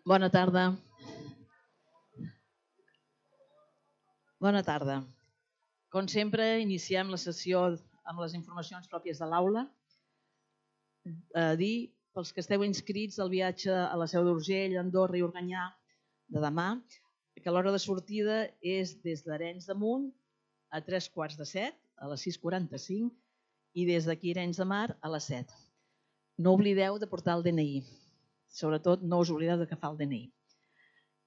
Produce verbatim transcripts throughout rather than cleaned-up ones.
Bona tarda. Bona tarda. Com sempre, iniciem la sessió amb les informacions pròpies de l'aula. A dir, pels que esteu inscrits al viatge a la Seu d'Urgell, Andorra i Organyà de demà, que l'hora de sortida és des d'Arenys de Munt a tres quarts de set, a les sis quaranta-cinc, i des d'aquí Arenys de Mar a les set. No oblideu de portar el D N I. Sobretot no us oblideu de agafar el D N I.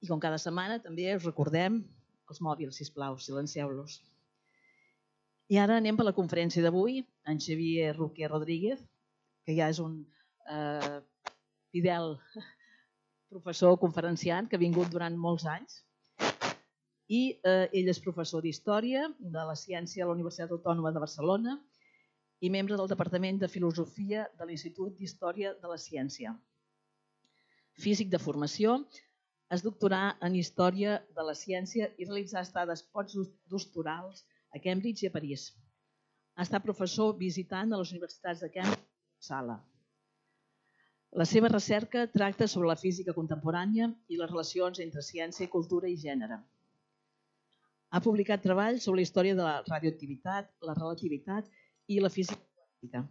I com cada setmana també us recordem els mòbils, sisplau, silencieu-los. I ara anem per la conferència d'avui. En Xavier Roquer Rodríguez, que ja és un eh, fidel professor conferenciant que ha vingut durant molts anys. I eh, ell és professor d'Història de la Ciència a la Universitat Autònoma de Barcelona i membre del Departament de Filosofia de l'Institut d'Història de la Ciència. Físic de formació, es doctorà en Història de la Ciència i realitzà estades postdoctorals a Cambridge i a París. Ha estat professor visitant a les universitats de Cambridge i Uppsala. La seva recerca tracta sobre la física contemporània i les relacions entre ciència, cultura i gènere. Ha publicat treballs sobre la història de la radioactivitat, la relativitat i la física quàntica.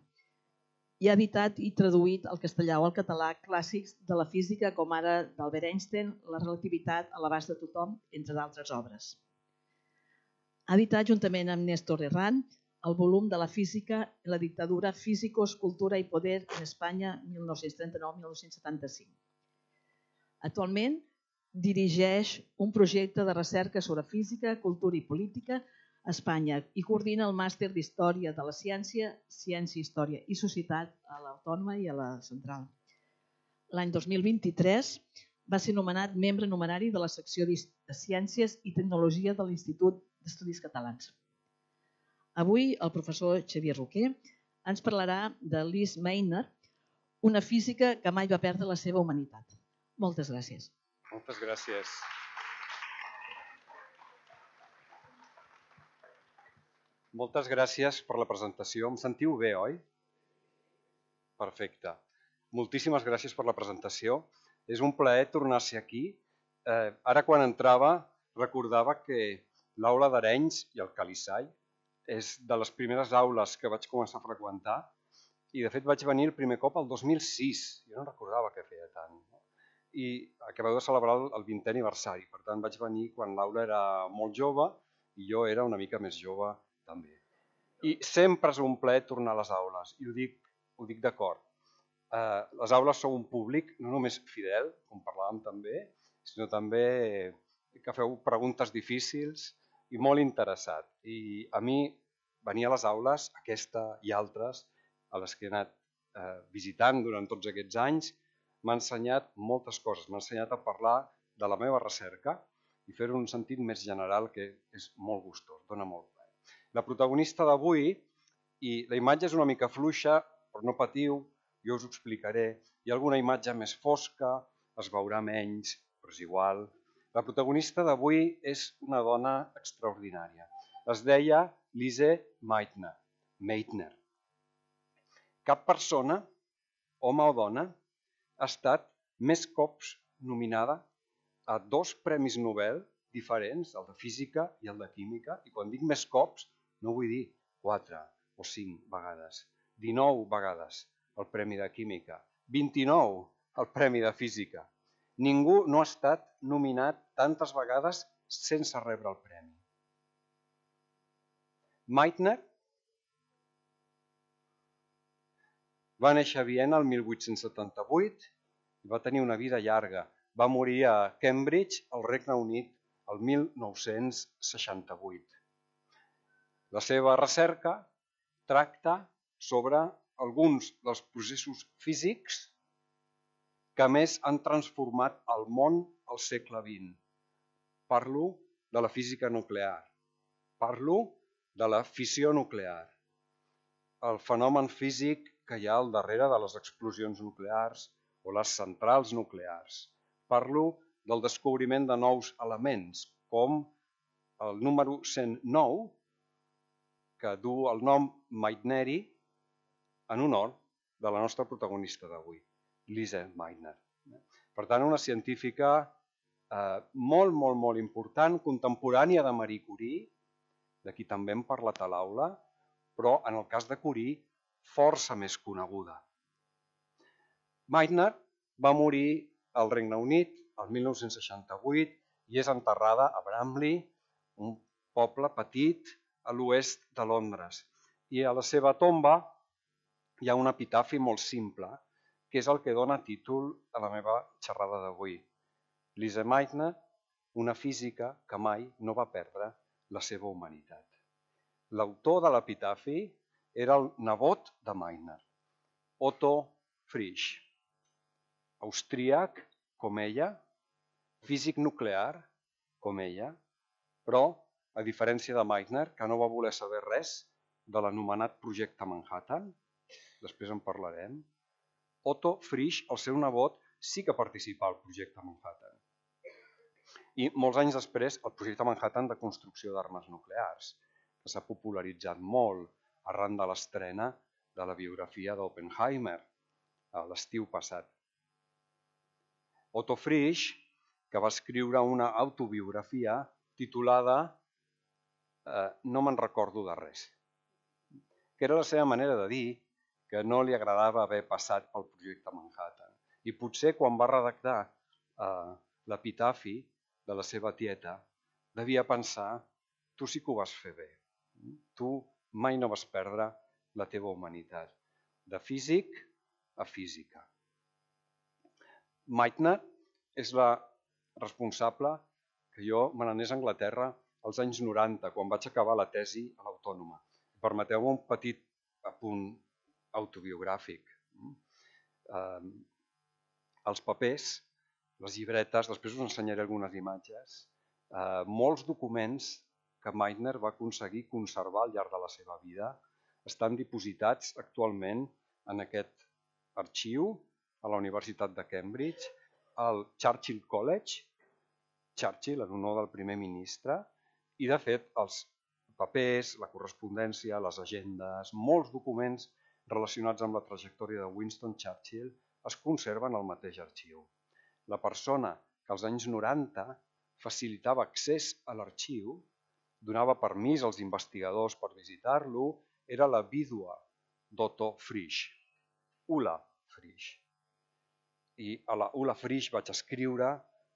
I ha editat i traduït al castellà o al català clàssics de la física com ara d'Albert Einstein, la relativitat a l'abast de tothom, entre d'altres obres. Ha editat juntament amb Néstor Herrán el volum de la física i la dictadura Físicos, Cultura i Poder en Espanya mil nou-cents trenta-nou a mil nou-cents setanta-cinc. Actualment dirigeix un projecte de recerca sobre física, cultura i política a Espanya i coordina el màster d'Història de la Ciència, Ciència, Història i Societat a l'Autònoma i a la Central. L'any dos mil vint-i-tres va ser nomenat membre numerari de la secció de Ciències i Tecnologia de l'Institut d'Estudis Catalans. Avui el professor Xavier Roquer ens parlarà de Lise Meitner, una física que mai va perdre la seva humanitat. Moltes gràcies. Moltes gràcies. Moltes gràcies per la presentació. Em sentiu bé, oi? Perfecte. Moltíssimes gràcies per la presentació. És un plaer tornar-se aquí. Eh, ara quan entrava recordava que l'aula d'Arenys i el Calissai és de les primeres aules que vaig començar a freqüentar i de fet vaig venir el primer cop el dos mil sis. Jo no recordava que feia tant. I acabeu de celebrar el vintè aniversari. Per tant, vaig venir quan l'aula era molt jove i jo era una mica més jove també. I sempre és un plaer tornar a les aules, i ho dic, ho dic d'acord. Eh, les aules són un públic no només fidel, com parlàvem també, sinó també que feu preguntes difícils i molt interessat. I a mi venir a les aules, aquesta i altres, a les que he anat eh, visitant durant tots aquests anys, m'ha ensenyat moltes coses. M'ha ensenyat a parlar de la meva recerca i fer-ho en un sentit més general que és molt gustós, dona molt plaer. La protagonista d'avui, i la imatge és una mica fluixa, però no patiu, jo us ho explicaré. Hi ha alguna imatge més fosca, es veurà menys, però és igual. La protagonista d'avui és una dona extraordinària. Es deia Lise Meitner. Meitner. Cap persona, home o dona, ha estat més cops nominada a dos premis Nobel diferents, el de física i el de química, i quan dic més cops no vull dir quatre o cinc vegades, dinou vegades el premi de química, vint-i-nou el premi de física. Ningú no ha estat nominat tantes vegades sense rebre el premi. Meitner va néixer a Viena el mil vuit-cents setanta-vuit i va tenir una vida llarga. Va morir a Cambridge, al Regne Unit, el mil nou-cents seixanta-vuit. La seva recerca tracta sobre alguns dels processos físics que més han transformat el món al segle vint. Parlo de la física nuclear. Parlo de la fissió nuclear. El fenomen físic que hi ha al darrere de les explosions nuclears o les centrals nuclears. Parlo del descobriment de nous elements, com el número cent nou, que du el nom Meitneri en honor de la nostra protagonista d'avui, Lise Meitner. Per tant, una científica eh, molt, molt, molt important, contemporània de Marie Curie, de qui també hem parlat a l'aula, però en el cas de Curie, força més coneguda. Meitner va morir al Regne Unit el mil nou-cents seixanta-vuit i és enterrada a Bramley, un poble petit a l'oest de Londres. I a la seva tomba hi ha un epitafi molt simple, que és el que dona títol a la meva xerrada d'avui. Lise Meitner, una física que mai no va perdre la seva humanitat. L'autor de l'epitafi era el nebot de Meitner, Otto Frisch, austríac com ella, físic nuclear com ella, però, a diferència de Meitner, que no va voler saber res de l'anomenat projecte Manhattan, després en parlarem, Otto Frisch, el seu nebot, sí que participà al projecte Manhattan. I molts anys després, el projecte Manhattan de construcció d'armes nuclears, que s'ha popularitzat molt arran de l'estrena de la biografia d'Oppenheimer a l'estiu passat. Otto Frisch, que va escriure una autobiografia titulada eh, No me'n recordo de res, que era la seva manera de dir que no li agradava haver passat pel projecte Manhattan. I potser quan va redactar eh, l'epitafi de la seva tieta, devia pensar, tu sí que ho vas fer bé, tu mai no vas perdre la teva humanitat, de físic a física. Meitner és la responsable que jo me n'anés a Anglaterra als anys noranta, quan vaig acabar la tesi a l'Autònoma. Permeteu-me un petit apunt autobiogràfic. Eh, els papers, les llibretes, després us ensenyaré algunes imatges, eh, molts documents que Meitner va aconseguir conservar al llarg de la seva vida estan dipositats actualment en aquest arxiu a la Universitat de Cambridge, al Churchill College, Churchill en honor del primer ministre, i de fet els papers, la correspondència, les agendes, molts documents relacionats amb la trajectòria de Winston Churchill es conserven al mateix arxiu. La persona que als anys noranta facilitava accés a l'arxiu, donava permís als investigadors per visitar-lo, era la vídua d'Otto Frisch, Ulla Frisch. I a la Ulla Frisch vaig escriure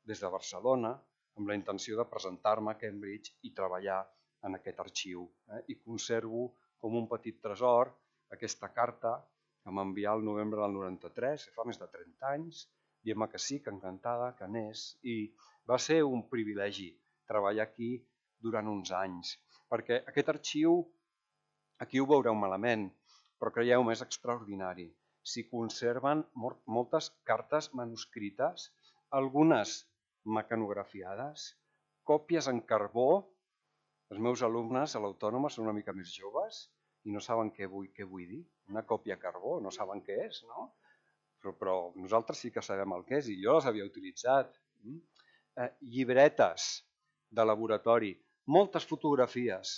des de Barcelona amb la intenció de presentar-me a Cambridge i treballar en aquest arxiu. Eh? I conservo com un petit tresor aquesta carta que m'envià el novembre del noranta-tres, fa més de trenta anys, dient-me que sí, que encantada, que anés. I va ser un privilegi treballar aquí durant uns anys, perquè aquest arxiu, aquí ho veureu malament, però creieu-me, és extraordinari. S'hi conserven moltes cartes manuscrites, algunes mecanografiades, còpies en carbó. Els meus alumnes a l'Autònoma són una mica més joves i no saben què vull, què vull dir. Una còpia a carbó, no saben què és, no? Però, però nosaltres sí que sabem el que és i jo les havia utilitzat. Eh, llibretes de laboratori, moltes fotografies,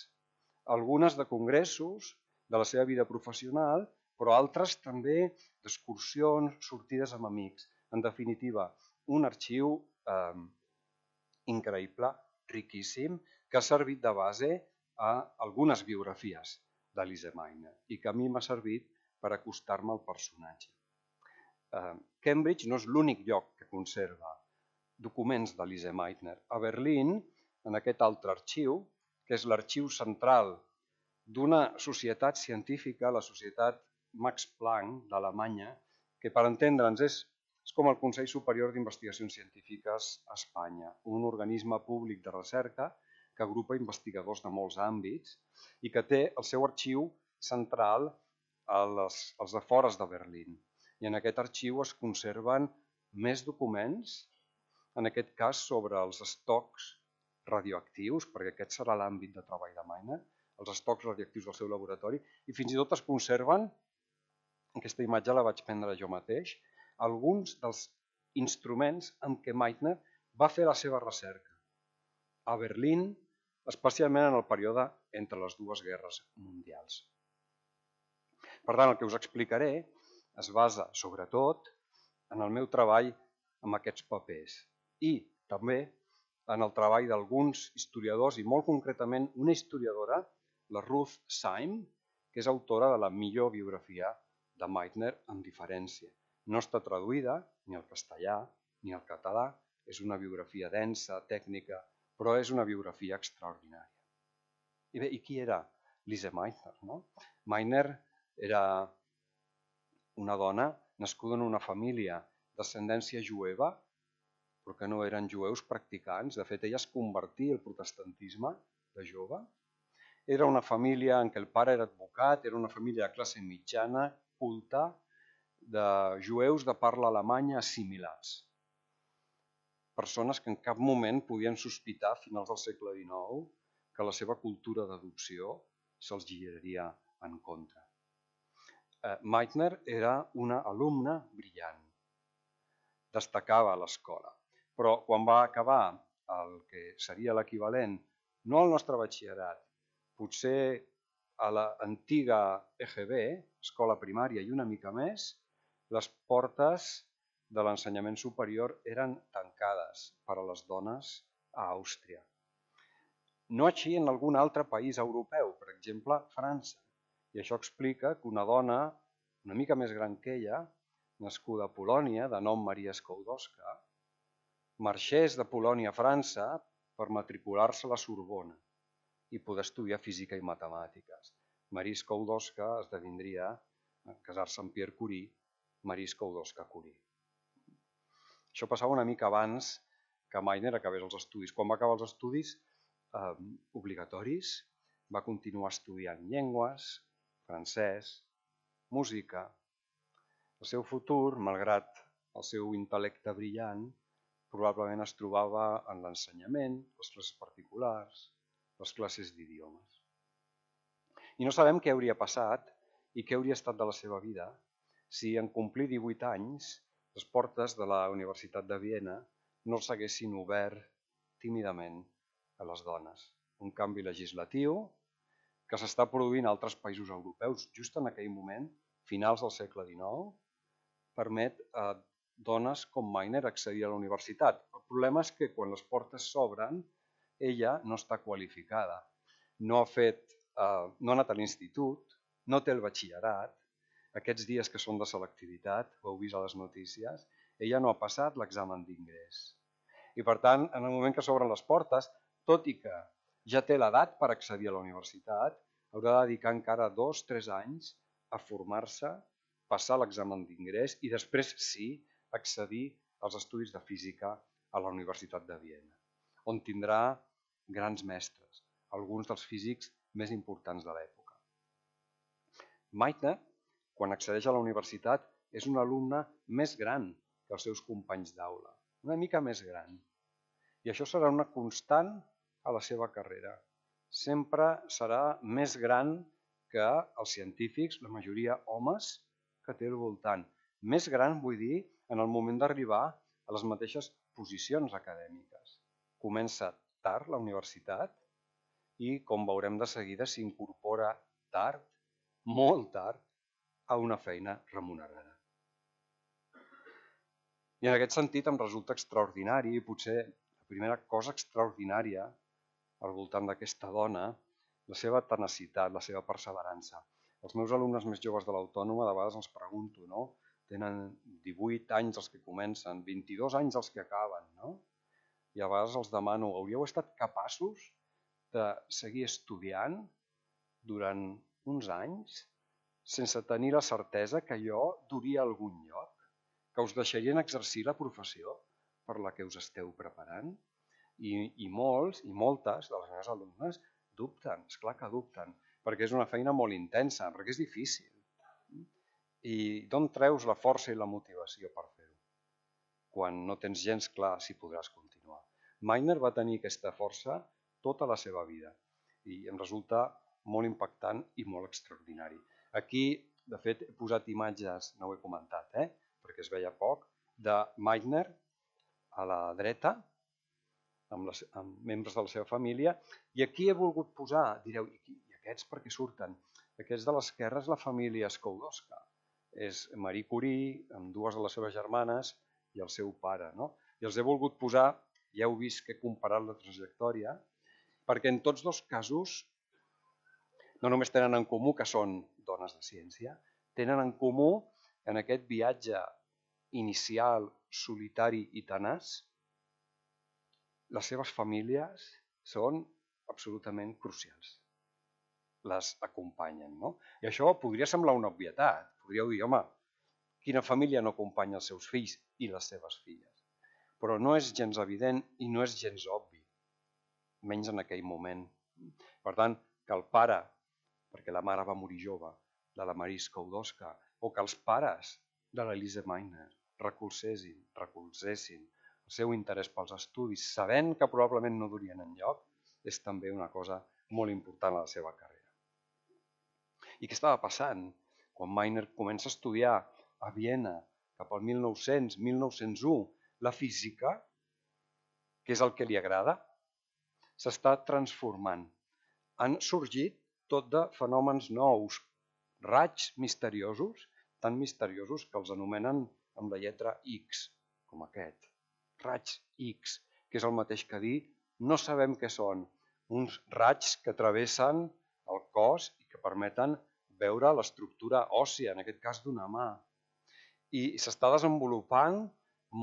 algunes de congressos de la seva vida professional, però altres també d'excursions, sortides amb amics. En definitiva, un arxiu eh, increïble, riquíssim, que ha servit de base a algunes biografies de Lise Meitner i que a mi m'ha servit per acostar-me al personatge. Eh, Cambridge no és l'únic lloc que conserva documents de Lise Meitner. A Berlín, en aquest altre arxiu, que és l'arxiu central d'una societat científica, la Societat Max Planck d'Alemanya, que per entendre'ns és, és com el Consell Superior d'Investigacions Científiques a Espanya, un organisme públic de recerca que agrupa investigadors de molts àmbits i que té el seu arxiu central als, als afores de Berlín. I en aquest arxiu es conserven més documents, en aquest cas sobre els estocs radioactius, perquè aquest serà l'àmbit de treball de Meitner, els estocs radioactius del seu laboratori, i fins i tot es conserven, aquesta imatge la vaig prendre jo mateix, alguns dels instruments amb què Meitner va fer la seva recerca a Berlín, especialment en el període entre les dues guerres mundials. Per tant, el que us explicaré es basa, sobretot, en el meu treball amb aquests papers. I també en el treball d'alguns historiadors, i molt concretament una historiadora, la Ruth Syme, que és autora de la millor biografia de Meitner amb diferència. No està traduïda ni al castellà ni al català, és una biografia densa, tècnica, però és una biografia extraordinària. I bé, i qui era Lise Meitner? No? Meitner era una dona nascuda en una família d'ascendència jueva, però que no eren jueus practicants. De fet, ella es convertí al protestantisme de jove. Era una família en què el pare era advocat, era una família de classe mitjana, culta, de jueus de parla alemanya assimilats. Persones que en cap moment podien sospitar a finals del segle dinou que la seva cultura d'adopció se'ls giraria en contra. Meitner era una alumna brillant. Destacava a l'escola. Però quan va acabar el que seria l'equivalent, no al nostre batxillerat, potser a l'antiga E G B, escola primària i una mica més, les portes de l'ensenyament superior eren tancades per a les dones a Àustria. No així en algun altre país europeu, per exemple, França. I això explica que una dona una mica més gran que ella, nascuda a Polònia, de nom Maria Skłodowska, marxés de Polònia a França per matricular-se a la Sorbona i poder estudiar física i matemàtiques. Maria Skłodowska esdevindria, en casar-se amb Pierre Curie, Maria Skłodowska-Curie. Això passava una mica abans que Meitner acabés els estudis. Quan va acabar els estudis eh, obligatoris, va continuar estudiant llengües, francès, música. El seu futur, malgrat el seu intel·lecte brillant, probablement es trobava en l'ensenyament, les classes particulars, les classes d'idiomes. I no sabem què hauria passat i què hauria estat de la seva vida si en complir divuit anys les portes de la Universitat de Viena no els haguessin obert tímidament a les dones. Un canvi legislatiu que s'està produint a altres països europeus just en aquell moment, finals del segle dinou, permet a dones com Meitner accedir a la universitat. El problema és que quan les portes s'obren, ella no està qualificada. No ha fet, eh, no ha anat a l'institut, no té el batxillerat. Aquests dies que són de selectivitat, ho heu vist a les notícies, ella no ha passat l'examen d'ingrés. I per tant, en el moment que s'obren les portes, tot i que ja té l'edat per accedir a la universitat, haurà de dedicar encara dos o tres anys a formar-se, passar l'examen d'ingrés i després sí accedir als estudis de física a la Universitat de Viena, on tindrà grans mestres, alguns dels físics més importants de l'època. Meitner, quan accedeix a la universitat, és un alumne més gran que els seus companys d'aula, una mica més gran. I això serà una constant a la seva carrera. Sempre serà més gran que els científics, la majoria homes, que té al voltant. Més gran, vull dir, en el moment d'arribar a les mateixes posicions acadèmiques. Comença tard la universitat i, com veurem de seguida, s'incorpora tard, molt tard, a una feina remunerada. I en aquest sentit em resulta extraordinari, i potser la primera cosa extraordinària al voltant d'aquesta dona, la seva tenacitat, la seva perseverança. Els meus alumnes més joves de l'Autònoma de vegades els pregunto, no? Tenen divuit anys els que comencen, vint-i-dos anys els que acaben, no? I a vegades els demano, hauríeu estat capaços de seguir estudiant durant uns anys sense tenir la certesa que allò duria a algun lloc, que us deixarien exercir la professió per la que us esteu preparant? I, i molts i moltes de les meves alumnes dubten, esclar que dubten, perquè és una feina molt intensa, perquè és difícil. I d'on treus la força i la motivació per fer-ho? Quan no tens gens clar si podràs continuar. Meitner va tenir aquesta força tota la seva vida i em resulta molt impactant i molt extraordinari. Aquí, de fet, he posat imatges, no ho he comentat, eh? perquè es veia poc, de Meitner a la dreta, amb, les, amb membres de la seva família, i aquí he volgut posar, direu, i aquests per què surten? Aquests de l'esquerra és la família Skłodowska. És Marie Curie, amb dues de les seves germanes, i el seu pare. No? I els he volgut posar, ja heu vist que he comparat la trajectòria, perquè en tots dos casos no només tenen en comú que són dones de ciència, tenen en comú en aquest viatge inicial, solitari i tenaç, les seves famílies són absolutament crucials. Les acompanyen. No? I això podria semblar una obvietat. Podríeu dir, home, quina família no acompanya els seus fills i les seves filles? Però no és gens evident i no és gens obvi, menys en aquell moment. Per tant, que el pare, perquè la mare va morir jove, de la Marie Skłodowska, o que els pares de l'Elise Meitner recolzessin, recolzessin el seu interès pels estudis, sabent que probablement no durien enlloc, és també una cosa molt important a la seva carrera. I què estava passant? Quan Meitner comença a estudiar a Viena cap al mil nou-cents, mil nou-cents u, la física, que és el que li agrada, s'està transformant. Han sorgit tot de fenòmens nous, raigs misteriosos, tan misteriosos que els anomenen amb la lletra X, com aquest. Raigs X, que és el mateix que dir no sabem què són. Uns raigs que travessen el cos i que permeten veure l'estructura òssia, en aquest cas d'una mà. I s'està desenvolupant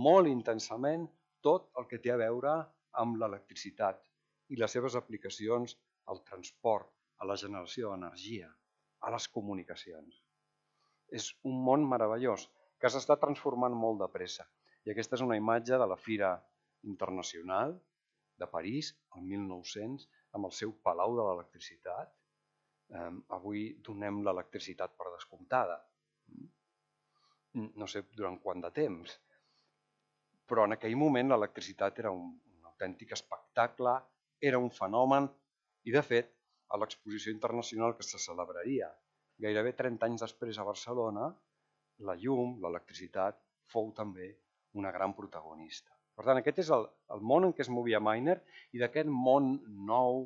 molt intensament tot el que té a veure amb l'electricitat i les seves aplicacions al transport, a la generació d'energia, a les comunicacions. És un món meravellós que s'està transformant molt de pressa. I aquesta és una imatge de la Fira Internacional de París, el mil nou-cents, amb el seu Palau de l'Electricitat. Eh, avui donem l'electricitat per descomptada. No sé durant quant de temps, però en aquell moment l'electricitat era un, un autèntic espectacle, era un fenomen, i de fet, a l'exposició internacional que se celebraria gairebé trenta anys després a Barcelona, la llum, l'electricitat, fou també una gran protagonista. Per tant, aquest és el, el món en què es movia Meitner, i d'aquest món nou,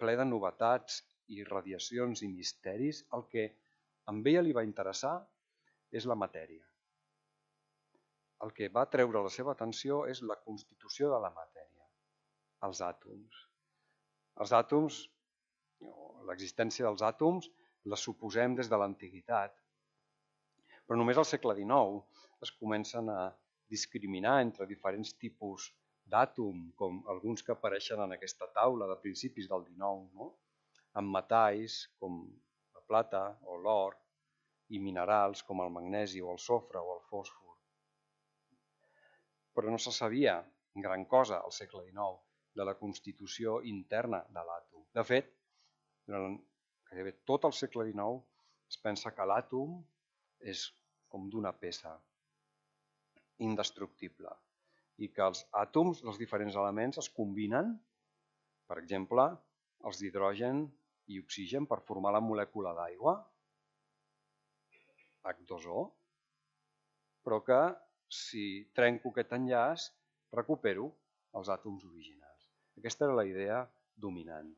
ple de novetats i radiacions i misteris, el que a ella li va interessar és la matèria. El que va treure la seva atenció és la constitució de la matèria, els àtoms. Els àtoms, l'existència dels àtoms, la suposem des de l'antiguitat, però només al segle dinou es comencen a discriminar entre diferents tipus d'àtom, com alguns que apareixen en aquesta taula de principis del dinou, no? Amb metalls com la plata o l'or, i minerals com el magnesi o el sofre o el fòsfor. Però no se sabia gran cosa al segle dinou de la constitució interna de l'àtom. De fet, durant gairebé tot el segle dinou es pensa que l'àtom és com d'una peça indestructible i que els àtoms dels diferents elements es combinen, per exemple, els d'hidrogen i oxigen per formar la molècula d'aigua, hac dos o, però que si trenco aquest enllaç recupero els àtoms originals. Aquesta era la idea dominant.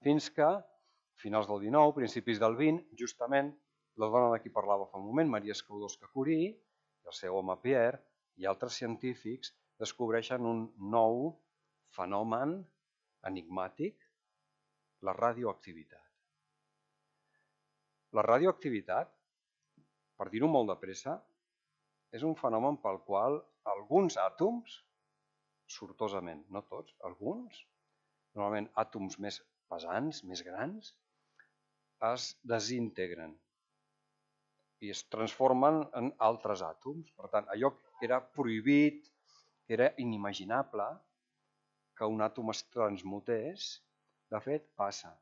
Fins que, a finals del dinou, principis del vint, justament la dona de qui parlava fa un moment, Maria Skłodowska-Curie, i el seu home Pierre, i altres científics descobreixen un nou fenomen enigmàtic, la radioactivitat. La radioactivitat, per dir-ho molt de pressa, és un fenomen pel qual alguns àtoms, sortosament, no tots, alguns, normalment àtoms més pesants, més grans, es desintegren i es transformen en altres àtoms. Per tant, allò que era prohibit, que era inimaginable que un àtom es transmutés, de fet, passa.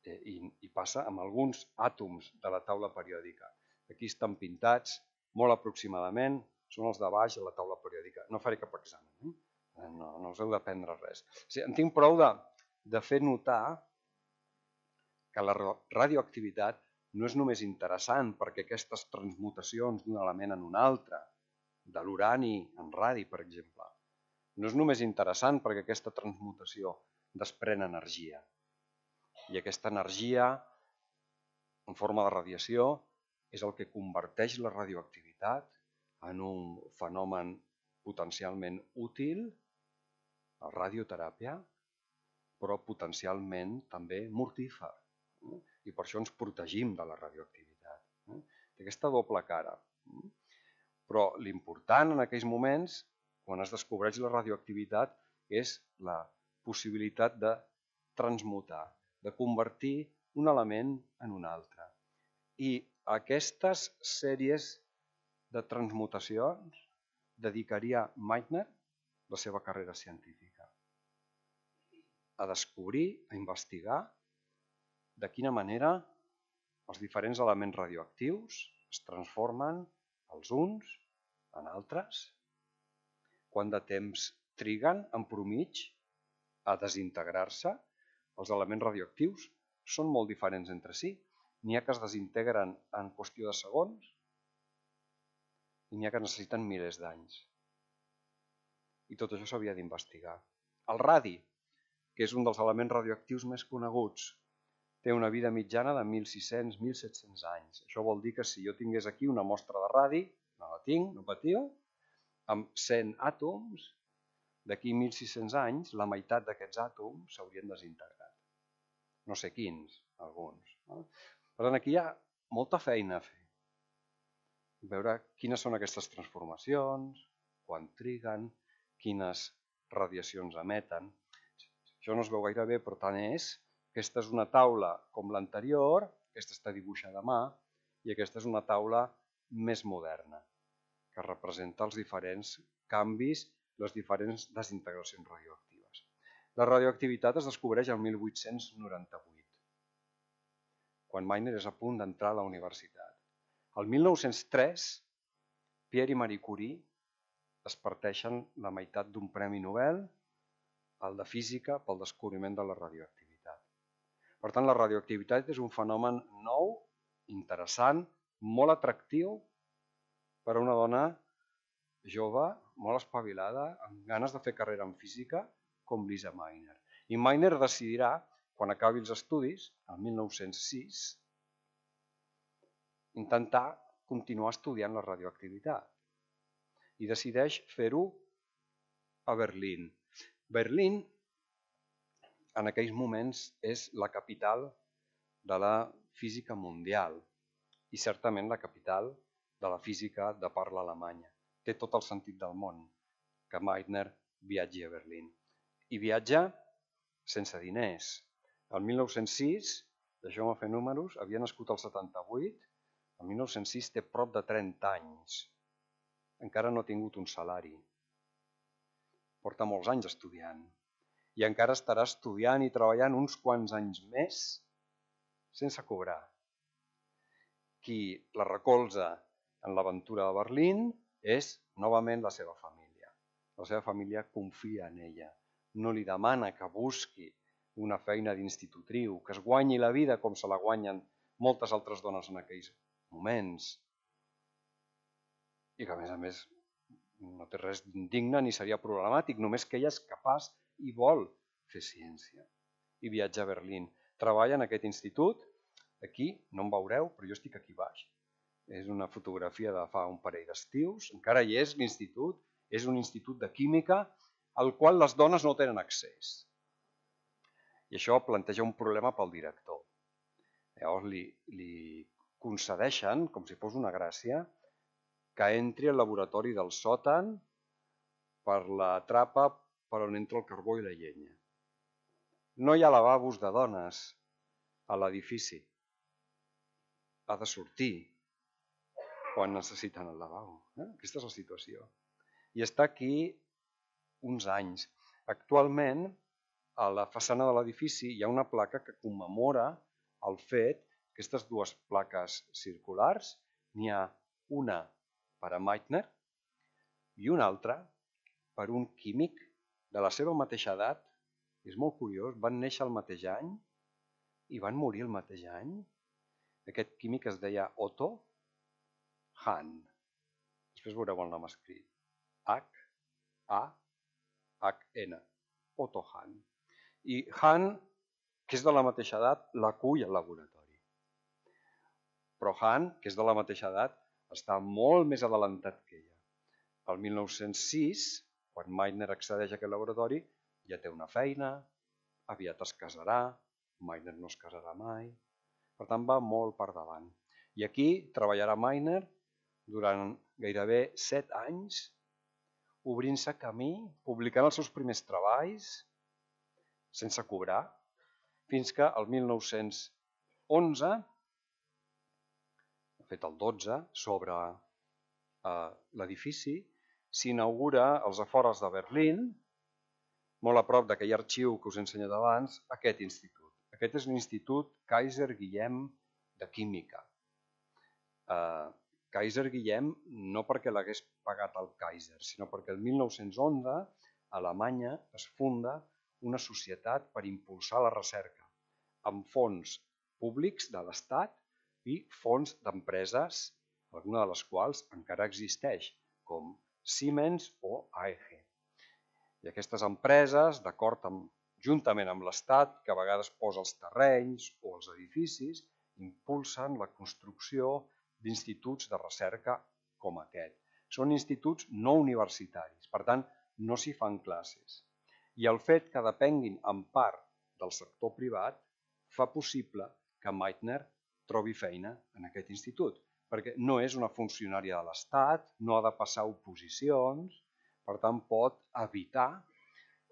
I, i passa amb alguns àtoms de la taula periòdica. Aquí estan pintats, molt aproximadament, són els de baix de la taula periòdica. No faré cap examen, eh? no, no us heu d'aprendre res. O sigui, en tinc prou de, de fer notar que la radioactivitat no és només interessant perquè aquestes transmutacions d'un element en un altre, de l'urani en radi, per exemple, no és només interessant perquè aquesta transmutació desprèn energia. I aquesta energia, en forma de radiació, és el que converteix la radioactivitat en un fenomen potencialment útil, la radioteràpia, però potencialment també mortífer. I per això ens protegim de la radioactivitat. Té aquesta doble cara. Però l'important en aquells moments, quan es descobreix la radioactivitat, és la possibilitat de transmutar, de convertir un element en un altre. I aquestes sèries de transmutacions dedicaria Meitner la seva carrera científica. A descobrir, a investigar de quina manera els diferents elements radioactius es transformen els uns en altres, quant de temps triguen en promig a desintegrar-se. Els elements radioactius són molt diferents entre si. N'hi ha que es desintegren en qüestió de segons i n'hi ha que necessiten milers d'anys. I tot això s'havia d'investigar. El radi, que és un dels elements radioactius més coneguts, té una vida mitjana de mil sis-cents a mil set-cents anys. Això vol dir que si jo tingués aquí una mostra de radi, no la tinc, no patiu, amb cent àtoms, d'aquí mil sis-cents anys, la meitat d'aquests àtoms s'haurien desintegrat. No sé quins, alguns. Per tant, aquí hi ha molta feina a fer. Veure quines són aquestes transformacions, quan triguen, quines radiacions emeten. Això no es veu gaire bé, però tant és. Aquesta és una taula com l'anterior, aquesta està dibuixada a mà, i aquesta és una taula més moderna, que representa els diferents canvis, les diferents desintegracions radioactives. La radioactivitat es descobreix el mil vuit-cents noranta-vuit, quan Meitner és a punt d'entrar a la universitat. El mil nou-cents tres, Pierre i Marie Curie es parteixen la meitat d'un premi Nobel, el de física, pel descobriment de la radioactivitat. Per tant, la radioactivitat és un fenomen nou, interessant, molt atractiu per a una dona jove, molt espavilada, amb ganes de fer carrera en física, com Lisa Meitner. I Meitner decidirà, quan acabi els estudis, el mil nou-cents sis, intentar continuar estudiant la radioactivitat. I decideix fer-ho a Berlín. Berlín, en aquells moments, és la capital de la física mundial i certament la capital de la física de parla alemanya. Té tot el sentit del món que Meitner viatgi a Berlín. I viatja sense diners. El mil nou-cents sis, deixeu-me fer números, havia nascut el setanta-vuit, el mil nou-cents sis té prop de trenta anys. Encara no ha tingut un salari. Porta molts anys estudiant. I encara estarà estudiant i treballant uns quants anys més sense cobrar. Qui la recolza en l'aventura de Berlín és novament la seva família. La seva família confia en ella. No li demana que busqui una feina d'institutriu, que es guanyi la vida com se la guanyen moltes altres dones en aquells moments. I que a més a més no té res d'indigne ni seria problemàtic, només que ella és capaç i vol fer ciència. I viatja a Berlín. Treballa en aquest institut. Aquí no em veureu, però jo estic aquí baix. És una fotografia de fa un parell d'estius. Encara hi és l'institut. És un institut de química al qual les dones no tenen accés. I això planteja un problema pel director. Llavors li, li concedeixen, com si fos una gràcia, que entri al laboratori del sòtan per la trapa per on entra el carbó i la llenya. No hi ha lavabos de dones a l'edifici. Ha de sortir quan necessiten el lavabo. Aquesta és la situació. I està aquí uns anys. Actualment, a la façana de l'edifici hi ha una placa que commemora el fet, aquestes dues plaques circulars, n'hi ha una per a Meitner i una altra per un químic de la seva mateixa edat. És molt curiós, van néixer el mateix any i van morir el mateix any. Aquest químic es deia Otto Hahn. Després veureu el nom escrit. H A H N. Otto Hahn. I Hahn, que és de la mateixa edat, l'acull al laboratori. Però Hahn, que és de la mateixa edat, està molt més adelantat que ella. El mil nou-cents sis, quan Meitner accedeix a aquest laboratori, ja té una feina, aviat es casarà, Meitner no es casarà mai, per tant va molt per davant. I aquí treballarà Meitner durant gairebé set anys, obrint-se camí, publicant els seus primers treballs, sense cobrar, fins que el mil nou-cents onze, de fet el dotze, sobre eh, l'edifici, s'inaugura als afores de Berlín, molt a prop d'aquell arxiu que us he ensenyat abans, aquest institut. Aquest és l'Institut Kaiser Guillem de Química. Eh, Kaiser Guillem no perquè l'hagués pagat el Kaiser, sinó perquè el mil nou-cents onze a Alemanya es funda una societat per impulsar la recerca, amb fons públics de l'Estat i fons d'empreses, alguna de les quals encara existeix, com Siemens o A E G. I aquestes empreses, d'acord amb, juntament amb l'Estat, que a vegades posa els terrenys o els edificis, impulsen la construcció d'instituts de recerca com aquest. Són instituts no universitaris, per tant, no s'hi fan classes. I el fet que depenguin en part del sector privat fa possible que Meitner trobi feina en aquest institut, perquè no és una funcionària de l'Estat, no ha de passar oposicions, per tant pot evitar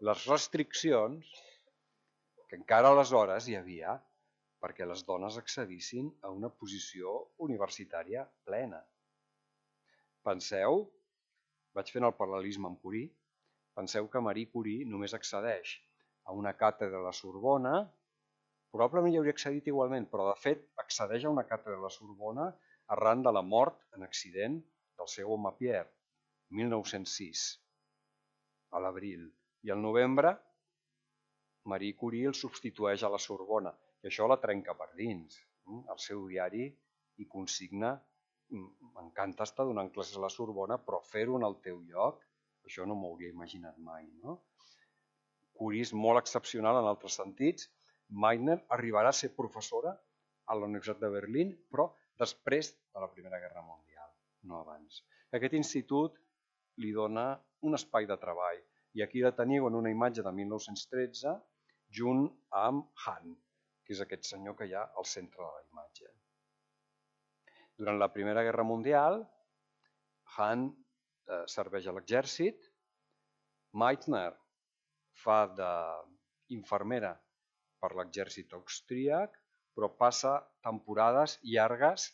les restriccions que encara aleshores hi havia perquè les dones accedissin a una posició universitària plena. Penseu, vaig fent el paral·lelisme amb Curie, penseu que Marie Curie només accedeix a una càtedra a la Sorbona, probablement hi hauria accedit igualment, però de fet accedeix a una càtedra a la Sorbona arran de la mort en accident del seu home Pierre, mil nou-cents sis, a l'abril. I al novembre, Marie Curie el substitueix a la Sorbona, i això la trenca per dins. El seu diari hi consigna: m'encanta estar donant classes a la Sorbona, però fer-ho en el teu lloc, això no m'ho hauria imaginat mai. No? Curie és molt excepcional en altres sentits. Meitner arribarà a ser professora a la Universitat de Berlín, però després de la Primera Guerra Mundial, no abans. Aquest institut li dona un espai de treball, i aquí la teniu en una imatge de mil nou-cents tretze, junt amb Hahn, que és aquest senyor que hi ha al centre de la imatge. Durant la Primera Guerra Mundial, Hahn eh, serveix a l'exèrcit, Meitner fa d'infermera per l'exèrcit austríac, però passa temporades llargues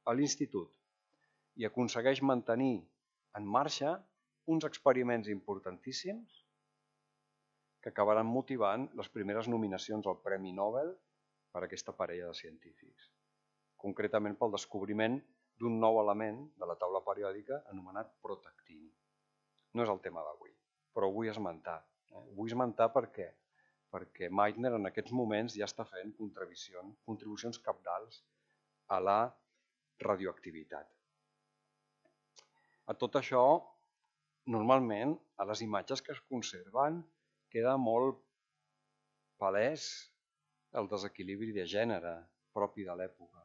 a l'institut i aconsegueix mantenir en marxa uns experiments importantíssims que acabaran motivant les primeres nominacions al Premi Nobel per a aquesta parella de científics, concretament pel descobriment d'un nou element de la taula periòdica anomenat protactini. No és el tema d'avui, però ho vull esmentar. Eh? Ho vull esmentar perquè, perquè Meitner en aquests moments ja està fent contribucions, contribucions cabdals a la radioactivitat. A tot això, normalment, a les imatges que es conserven, queda molt palès el desequilibri de gènere propi de l'època.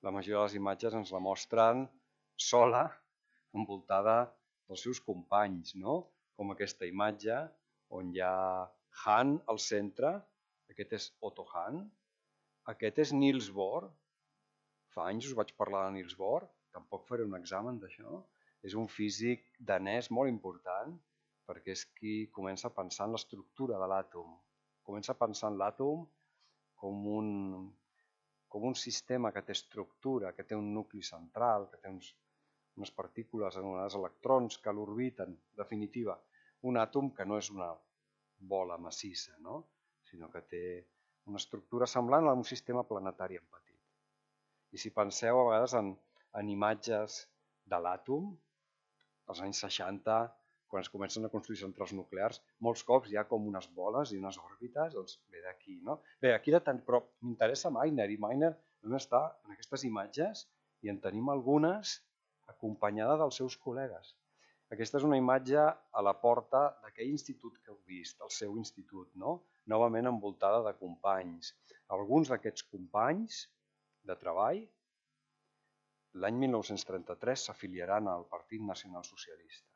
La majoria de les imatges ens la mostren sola, envoltada dels seus companys, no? Com aquesta imatge on hi ha Hahn al centre, aquest és Otto Hahn, aquest és Niels Bohr. Fa anys us vaig parlar de Niels Bohr, tampoc faré un examen d'això. És un físic danès molt important perquè és qui comença a pensar en l'estructura de l'àtom. Comença a pensar en l'àtom com un, com un sistema que té estructura, que té un nucli central, que té uns, unes partícules anomenades electrons que l'orbiten. En definitiva, un àtom que no és una bola massissa, no? Sinó que té una estructura semblant a un sistema planetari en petit. I si penseu a vegades en, en imatges de l'àtom, als anys seixanta, quan es comencen a construir centrals nuclears, molts cops hi ha com unes boles i unes òrbites, doncs ve d'aquí, no? Bé, aquí de tant, però m'interessa Meitner, i Meitner només està en aquestes imatges i en tenim algunes acompanyada dels seus col·legues. Aquesta és una imatge a la porta d'aquell institut que heu vist, el seu institut, no? Novament envoltada de companys. Alguns d'aquests companys de treball l'any mil nou-cents trenta-tres s'afiliaran al Partit Nacional Socialista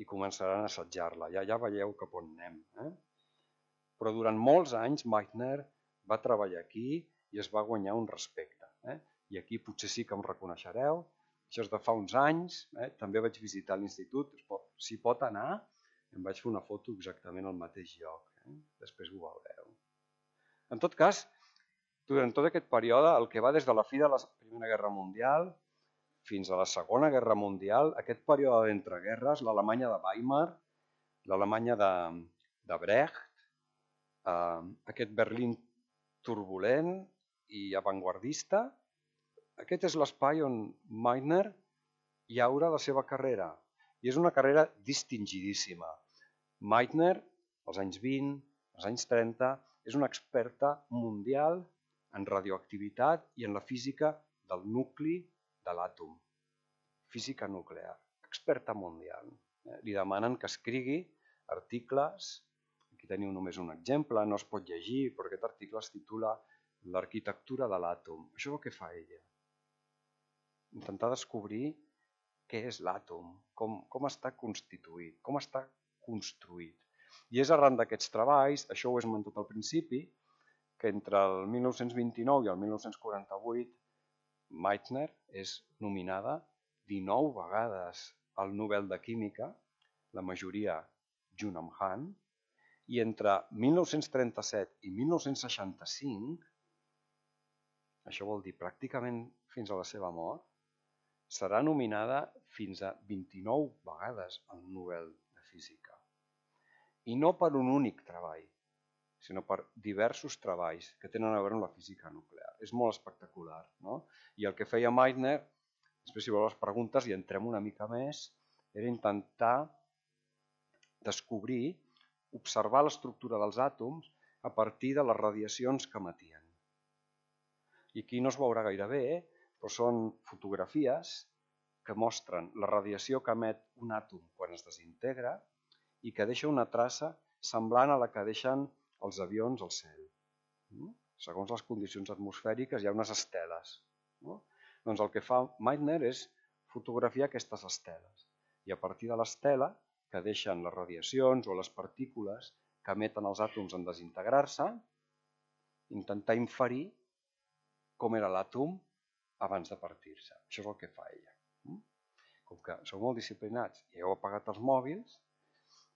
i començaran a assetjar-la. Ja, ja veieu cap on anem. Eh? Però durant molts anys Meitner va treballar aquí i es va guanyar un respecte. Eh? I aquí potser sí que em reconeixereu. Això és de fa uns anys. Eh? També vaig visitar l'institut. Si pot anar, em vaig fer una foto exactament al mateix lloc. Eh? Després ho veureu. En tot cas, durant tot aquest període, el que va des de la fi de la Primera Guerra Mundial fins a la Segona Guerra Mundial, aquest període d'entreguerres, l'Alemanya de Weimar, l'Alemanya de, de Brecht, eh, aquest Berlín turbulent i avantguardista, aquest és l'espai on Meitner llaura la seva carrera. I és una carrera distingidíssima. Meitner, als anys vint, als anys trenta, és una experta mundial en radioactivitat i en la física del nucli de l'àtom. Física nuclear. Experta mundial. Li demanen que escrigui articles. Aquí teniu només un exemple, no es pot llegir, però aquest article es titula L'arquitectura de l'àtom. Això és el que fa ella. Intentar descobrir què és l'àtom, com, com està constituït, com està construït. I és arran d'aquests treballs, això ho he esmentat al principi, que entre el mil nou-cents vint-i-nou i el mil nou-cents quaranta-vuit Meitner és nominada dinou vegades al Nobel de Química, la majoria junt amb Hahn, i entre mil nou-cents trenta-set i mil nou-cents seixanta-cinc, això vol dir pràcticament fins a la seva mort, serà nominada fins a vint-i-nou vegades al Nobel de Física. I no per un únic treball, sinó per diversos treballs que tenen a veure amb la física nuclear. És molt espectacular, no? I el que feia Meitner, després si voleu les preguntes i entrem una mica més, era intentar descobrir, observar l'estructura dels àtoms a partir de les radiacions que emetien. I aquí no es veurà gaire bé, però són fotografies que mostren la radiació que emet un àtom quan es desintegra i que deixa una traça semblant a la que deixen els avions al cel. Segons les condicions atmosfèriques hi ha unes esteles. Doncs el que fa Meitner és fotografiar aquestes esteles. I a partir de l'estela que deixen les radiacions o les partícules que emeten els àtoms en desintegrar-se, intentar inferir com era l'àtom abans de partir-se. Això és el que fa ella. Com que sou molt disciplinats i heu apagat els mòbils,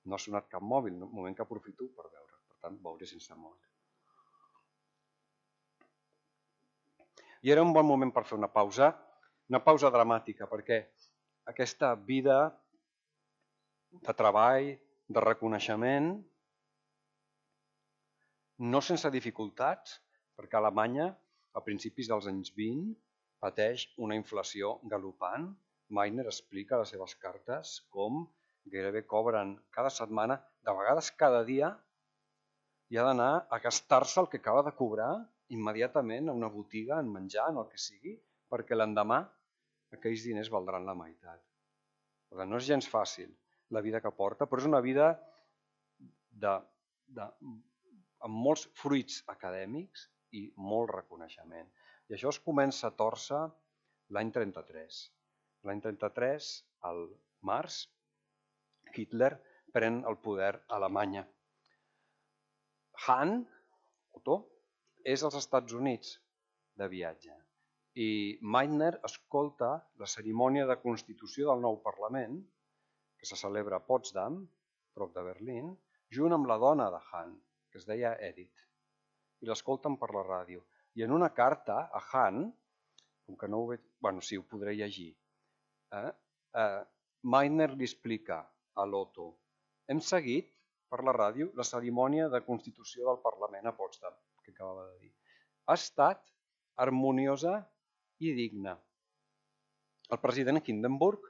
no ha sonat cap mòbil, un moment que aprofito per veure. Per tant, veuré sense mòbil. I era un bon moment per fer una pausa, una pausa dramàtica, perquè aquesta vida de treball, de reconeixement, no sense dificultats, perquè Alemanya, a principis dels anys vint, pateix una inflació galopant. Meitner explica a les seves cartes com gairebé cobren cada setmana, de vegades cada dia, i ha d'anar a gastar-se el que acaba de cobrar immediatament a una botiga, en menjar, en el que sigui, perquè l'endemà aquells diners valdran la meitat. No és gens fàcil la vida que porta, però és una vida de, de, amb molts fruits acadèmics i molt reconeixement. I això es comença a tòrcer l'any trenta-tres. L'any trenta-tres, al març, Hitler pren el poder a Alemanya. Hahn, Otto, és als Estats Units de viatge i Meitner escolta la cerimònia de constitució del nou Parlament, que se celebra a Potsdam, prop de Berlín, junt amb la dona de Hahn, que es deia Edith, i l'escolten per la ràdio. I en una carta a Hahn, com que no ho veig, bueno, sí, ho podré llegir, eh? Eh, Meitner li explica a l'Otto: hem seguit per la ràdio la cerimònia de constitució del Parlament a Potsdam, que acabava de dir. Ha estat harmoniosa i digna. El president Hindenburg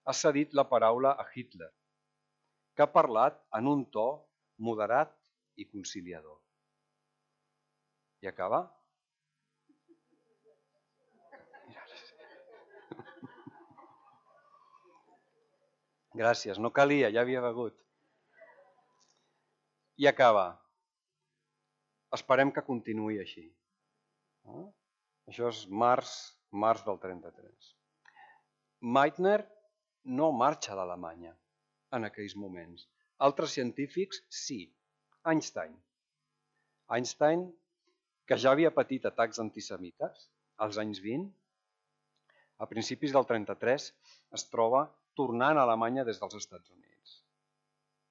ha cedit la paraula a Hitler, que ha parlat en un to moderat i conciliador. I acaba? Gràcies, no calia, ja havia begut. I acaba. Esperem que continuï així. Això és març març del trenta-tres. Meitner no marxa d'Alemanya en aquells moments. Altres científics sí. Einstein. Einstein, que ja havia patit atacs antisemites als anys vint, a principis del trenta-tres es troba tornant a Alemanya des dels Estats Units.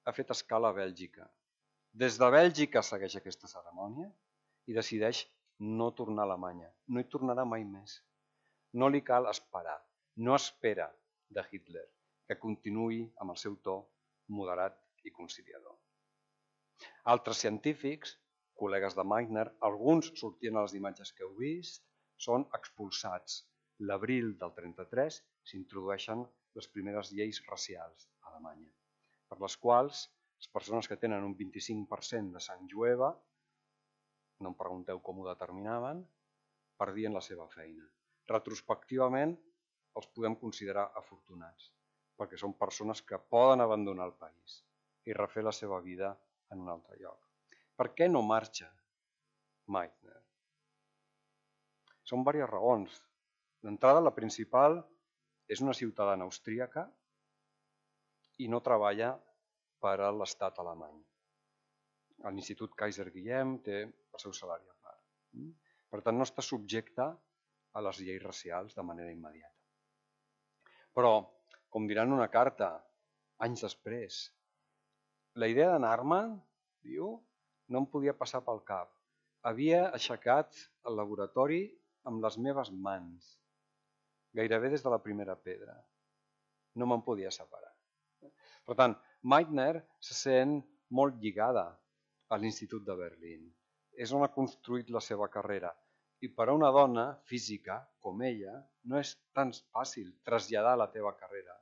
Ha fet escala a Bèlgica. Des de Bèlgica segueix aquesta cerimònia i decideix no tornar a Alemanya. No hi tornarà mai més. No li cal esperar. No espera de Hitler que continuï amb el seu to moderat i conciliador. Altres científics, col·legues de Meitner, alguns sortien a les imatges que heu vist, són expulsats. L'abril del trenta-tres s'introdueixen les primeres lleis racials a Alemanya, per les quals les persones que tenen un vint-i-cinc per cent de sang jueva, no em pregunteu com ho determinaven, perdien la seva feina. Retrospectivament els podem considerar afortunats, perquè són persones que poden abandonar el país i refer la seva vida en un altre lloc. Per què no marxa Meitner? Són diverses raons. D'entrada, la principal és una ciutadana austríaca i no treballa per a l'estat alemany. A l'Institut Kaiser Guillem té el seu salari a part. Per tant, no està subjecte a les lleis racials de manera immediata. Però, com diran una carta, anys després, la idea d'anar-me'n, diu, no em podia passar pel cap. Havia aixecat el laboratori amb les meves mans, gairebé des de la primera pedra. No me'n podia separar. Per tant, Meitner se sent molt lligada a l'Institut de Berlín. És on ha construït la seva carrera. I per a una dona física com ella no és tan fàcil traslladar la teva carrera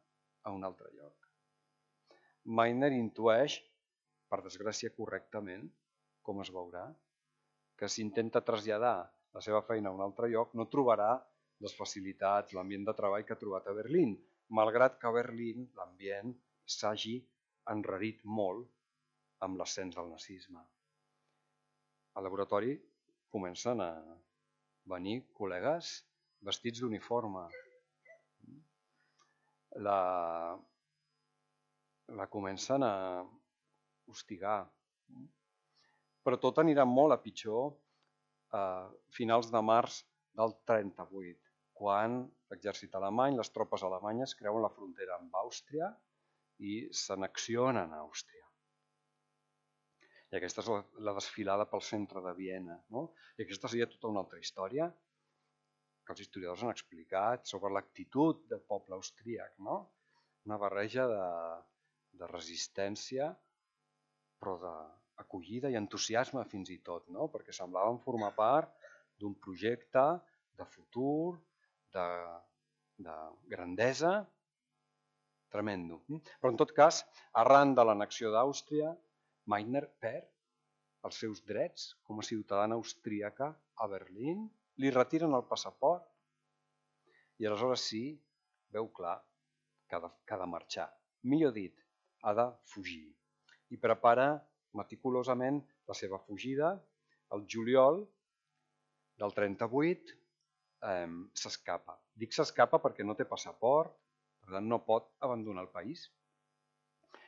a un altre lloc. Meitner intueix, per desgràcia correctament, com es veurà, que si intenta traslladar la seva feina a un altre lloc no trobarà les facilitats, l'ambient de treball que ha trobat a Berlín, malgrat que a Berlín l'ambient s'hagi enrarit molt amb l'ascens del nazisme. Al laboratori comencen a venir col·legues vestits d'uniforme. La, la comencen a hostigar. Però tot anirà molt a pitjor a finals de març del trenta-vuit, quan l'exèrcit alemany, les tropes alemanyes creuen la frontera amb Àustria i s'annexionen a Àustria. I aquesta és la desfilada pel centre de Viena. No? I aquesta seria tota una altra història que els historiadors han explicat sobre l'actitud del poble austríac. No? Una barreja de, de resistència, però d'acollida i entusiasme fins i tot, no? Perquè semblaven formar part d'un projecte de futur, de, de grandesa, tremendo. Però en tot cas, arran de l'annexió d'Àustria, Meitner perd els seus drets com a ciutadana austríaca a Berlín, li retiren el passaport i aleshores sí, veu clar que ha de, que ha de marxar. Millor dit, ha de fugir. I prepara meticulosament la seva fugida. El juliol del trenta-vuit eh, s'escapa. Dic s'escapa perquè no té passaport, per tant no pot abandonar el país.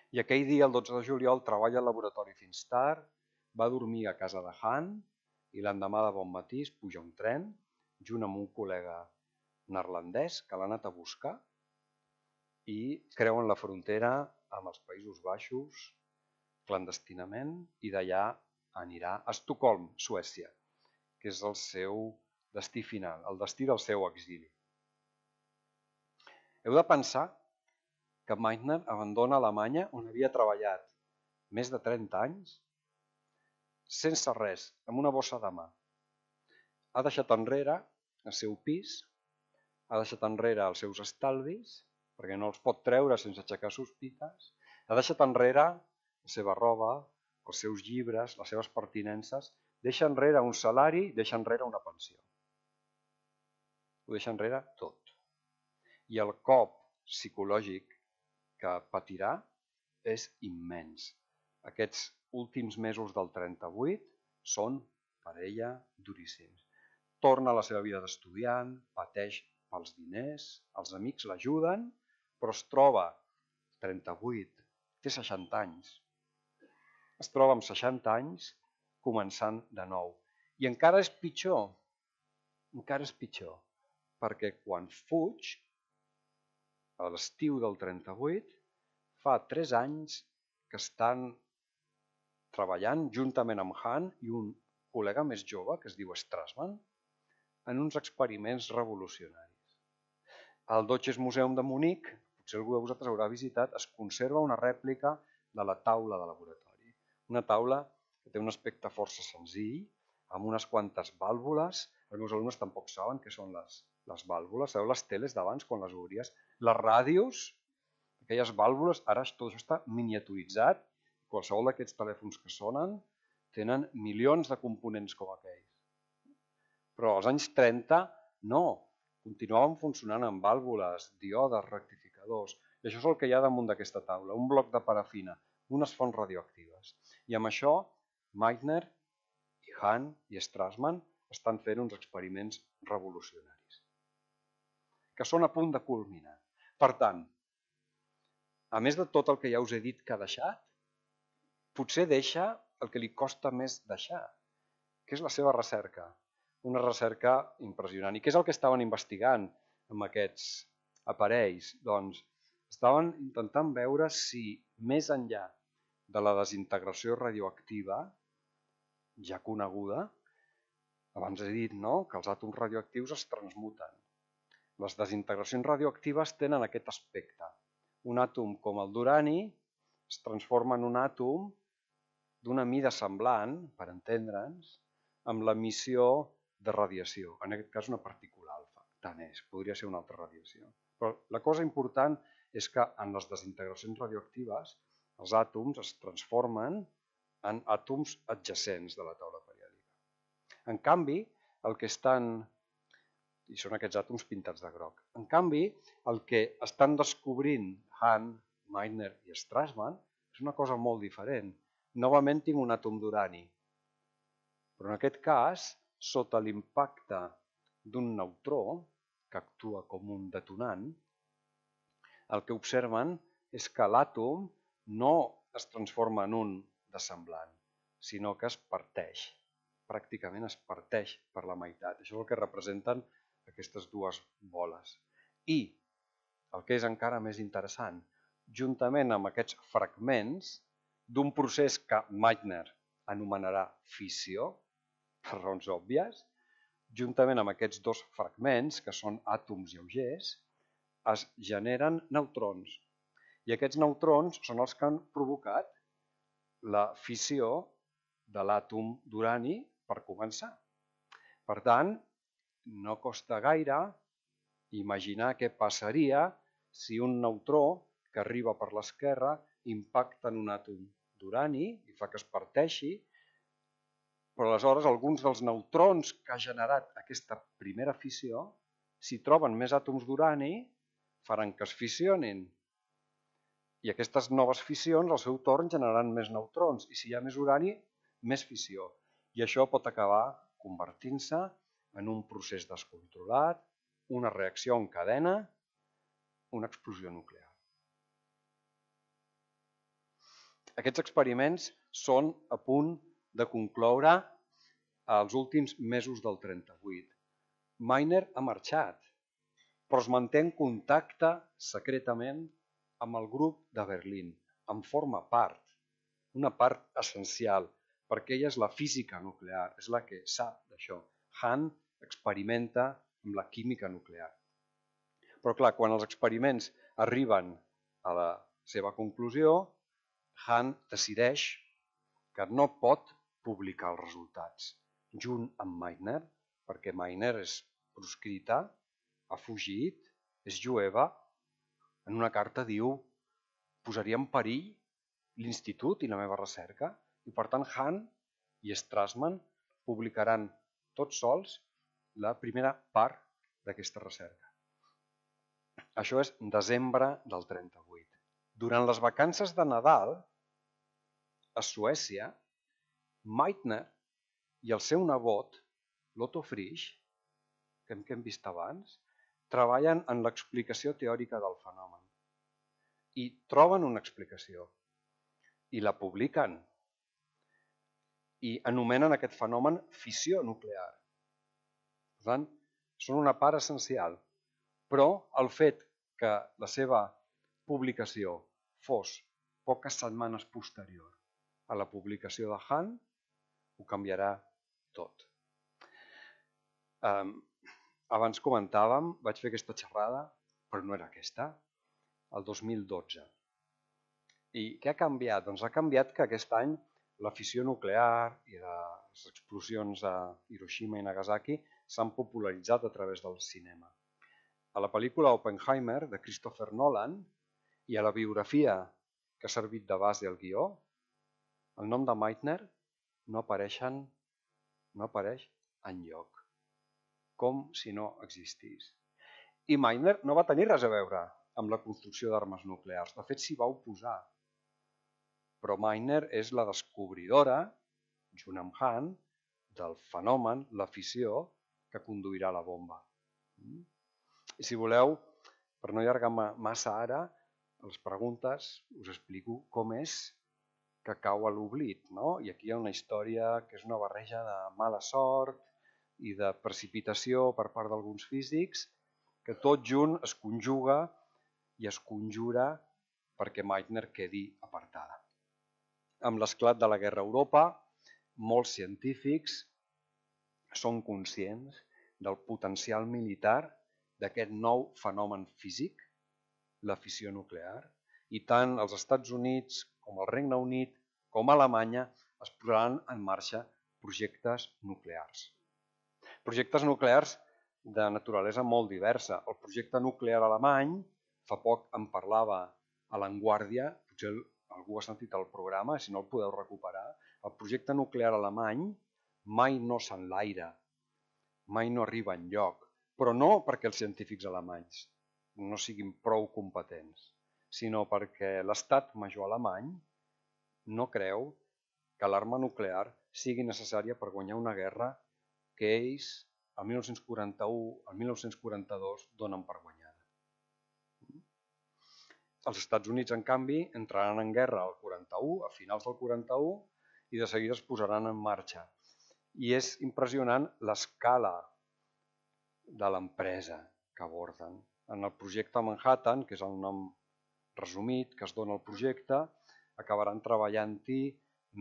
I aquell dia, el dotze de juliol, treballa al laboratori fins tard, va dormir a casa de Hahn i l'endemà de bon matí es puja un tren junt amb un col·lega neerlandès que l'ha anat a buscar i creuen la frontera amb els Països Baixos clandestinament i d'allà anirà a Estocolm, Suècia, que és el seu destí final, el destí del seu exili. Heu de pensar que Meitner abandona Alemanya on havia treballat més de trenta anys sense res, amb una bossa de mà. Ha deixat enrere el seu pis, ha deixat enrere els seus estalvis, perquè no els pot treure sense aixecar sospites, ha deixat enrere la seva roba, els seus llibres, les seves pertinences, deixa enrere un salari, deixa enrere una pensió. Ho deixa enrere tot. I el cop psicològic que patirà és immens. Aquests últims mesos del trenta-vuit són per ella duríssims. torna a la seva vida d'estudiant, pateix pels diners, els amics l'ajuden, però es troba trenta-vuit, té seixanta anys. Es troba amb seixanta anys començant de nou. I encara és pitjor, encara és pitjor, perquè quan fuig, a l'estiu del trenta-vuit, fa tres anys que estan treballant juntament amb Han i un col·lega més jove, que es diu Strassman, en uns experiments revolucionaris. Al Deutsches Museum de Munic, potser algú de vosaltres haurà visitat, es conserva una rèplica de la taula de laboratori. Una taula que té un aspecte força senzill, amb unes quantes vàlvules. Els meus alumnes tampoc saben què són les, les vàlvules. Sabeu les teles d'abans, quan les obries? Les ràdios, aquelles vàlvules, ara tot això està miniaturitzat. Qualsevol d'aquests telèfons que sonen tenen milions de components com aquells. Però als anys trenta, no. Continuaven funcionant amb vàlvules, díodes, rectificadors. I això és el que hi ha damunt d'aquesta taula, un bloc de parafina, unes fonts radioactives. I amb això, Meitner i Han i Strassman estan fent uns experiments revolucionaris, que són a punt de culminar. Per tant, a més de tot el que ja us he dit que ha deixat, potser deixa el que li costa més deixar, que és la seva recerca. Una recerca impressionant. I què és el que estaven investigant amb aquests aparells? Doncs estaven intentant veure si més enllà de la desintegració radioactiva, ja coneguda, abans he dit no? que els àtoms radioactius es transmuten. Les desintegracions radioactives tenen aquest aspecte. Un àtom com el d'urani es transforma en un àtom d'una mida semblant, per entendre'ns, amb l'emissió de radiació, en aquest cas una partícula alfa, tant és, podria ser una altra radiació. Però la cosa important és que en les desintegracions radioactives els àtoms es transformen en àtoms adjacents de la taula periòdica. En canvi, el que estan, i són aquests àtoms pintats de groc, en canvi, el que estan descobrint Han, Meitner i Strassman és una cosa molt diferent. Novament tinc un àtom d'urani, però en aquest cas, sota l'impacte d'un neutró, que actua com un detonant, el que observen és que l'àtom no es transforma en un de semblant, sinó que es parteix, pràcticament es parteix per la meitat. Això és el que representen aquestes dues boles. I, el que és encara més interessant, juntament amb aquests fragments d'un procés que Meitner anomenarà fissió, per raons òbvies, juntament amb aquests dos fragments, que són àtoms lleugers, es generen neutrons. I aquests neutrons són els que han provocat la fissió de l'àtom d'urani per començar. Per tant, no costa gaire imaginar què passaria si un neutró que arriba per l'esquerra impacta en un àtom d'urani i fa que es parteixi, però aleshores alguns dels neutrons que ha generat aquesta primera fissió, si troben més àtoms d'urani, faran que es fissionin. I aquestes noves fissions, al seu torn, generaran més neutrons. I si hi ha més urani, més fissió. I això pot acabar convertint-se en un procés descontrolat, una reacció en cadena, una explosió nuclear. Aquests experiments són a punt de concloure els últims mesos del trenta-vuit. Meitner ha marxat, però es manté en contacte secretament amb el grup de Berlín. En forma part, una part essencial, perquè ella és la física nuclear, és la que sap d'això. Han experimenta amb la química nuclear. Però clar, quan els experiments arriben a la seva conclusió, Han decideix que no pot publicar els resultats junt amb Meitner, perquè Meitner és proscrita, ha fugit, és jueva. En una carta diu: posaria en perill l'institut i la meva recerca, i per tant Han i Strassman publicaran tots sols la primera part d'aquesta recerca. Això és desembre del trenta-vuit. Durant les vacances de Nadal, a Suècia, Meitner i el seu nebot, l'Otto Frisch, que hem, que hem vist abans, treballen en l'explicació teòrica del fenomen. I troben una explicació. I la publiquen. I anomenen aquest fenomen fissió nuclear. Per tant, són una part essencial. Però el fet que la seva publicació fos poques setmanes posterior a la publicació de Hahn ho canviarà tot. Um, abans comentàvem, vaig fer aquesta xerrada, però no era aquesta, el dos mil dotze. I què ha canviat? Doncs ha canviat que aquest any la fissió nuclear i les explosions a Hiroshima i Nagasaki s'han popularitzat a través del cinema. A la pel·lícula Oppenheimer, de Christopher Nolan, i a la biografia que ha servit de base al guió, el nom de Meitner no, apareixen, no apareix enlloc, com si no existís. I Meitner no va tenir res a veure amb la construcció d'armes nuclears, de fet s'hi va oposar. Però Meitner és la descobridora, junt amb Hahn, del fenomen, la fissió, que conduirà la bomba. I si voleu, per no allargar massa ara, a les preguntes us explico com és que cau a l'oblit, no? I aquí hi ha una història que és una barreja de mala sort i de precipitació per part d'alguns físics, que tot junt es conjuga i es conjura perquè Meitner quedi apartada. Amb l'esclat de la guerra a Europa, molts científics són conscients del potencial militar d'aquest nou fenomen físic, la fissió nuclear, i tant els Estats Units com el Regne Unit com Alemanya es posaran en marxa projectes nuclears. Projectes nuclears de naturalesa molt diversa. El projecte nuclear alemany, fa poc en parlava a l'Anguàrdia, potser algú ha sentit el programa, si no el podeu recuperar, el projecte nuclear alemany mai no s'enlaira, mai no arriba enlloc, però no perquè els científics alemanys no siguin prou competents, sinó perquè l'estat major alemany no creu que l'arma nuclear sigui necessària per guanyar una guerra que ells, el mil nou-cents quaranta-u al mil nou-cents quaranta-dos, donen per guanyada. Els Estats Units, en canvi, entraran en guerra al quaranta-u, a finals del quaranta-u, i de seguida es posaran en marxa. I és impressionant l'escala de l'empresa que aborden. En el projecte Manhattan, que és el nom resumit que es dona al projecte, acabaran treballant-hi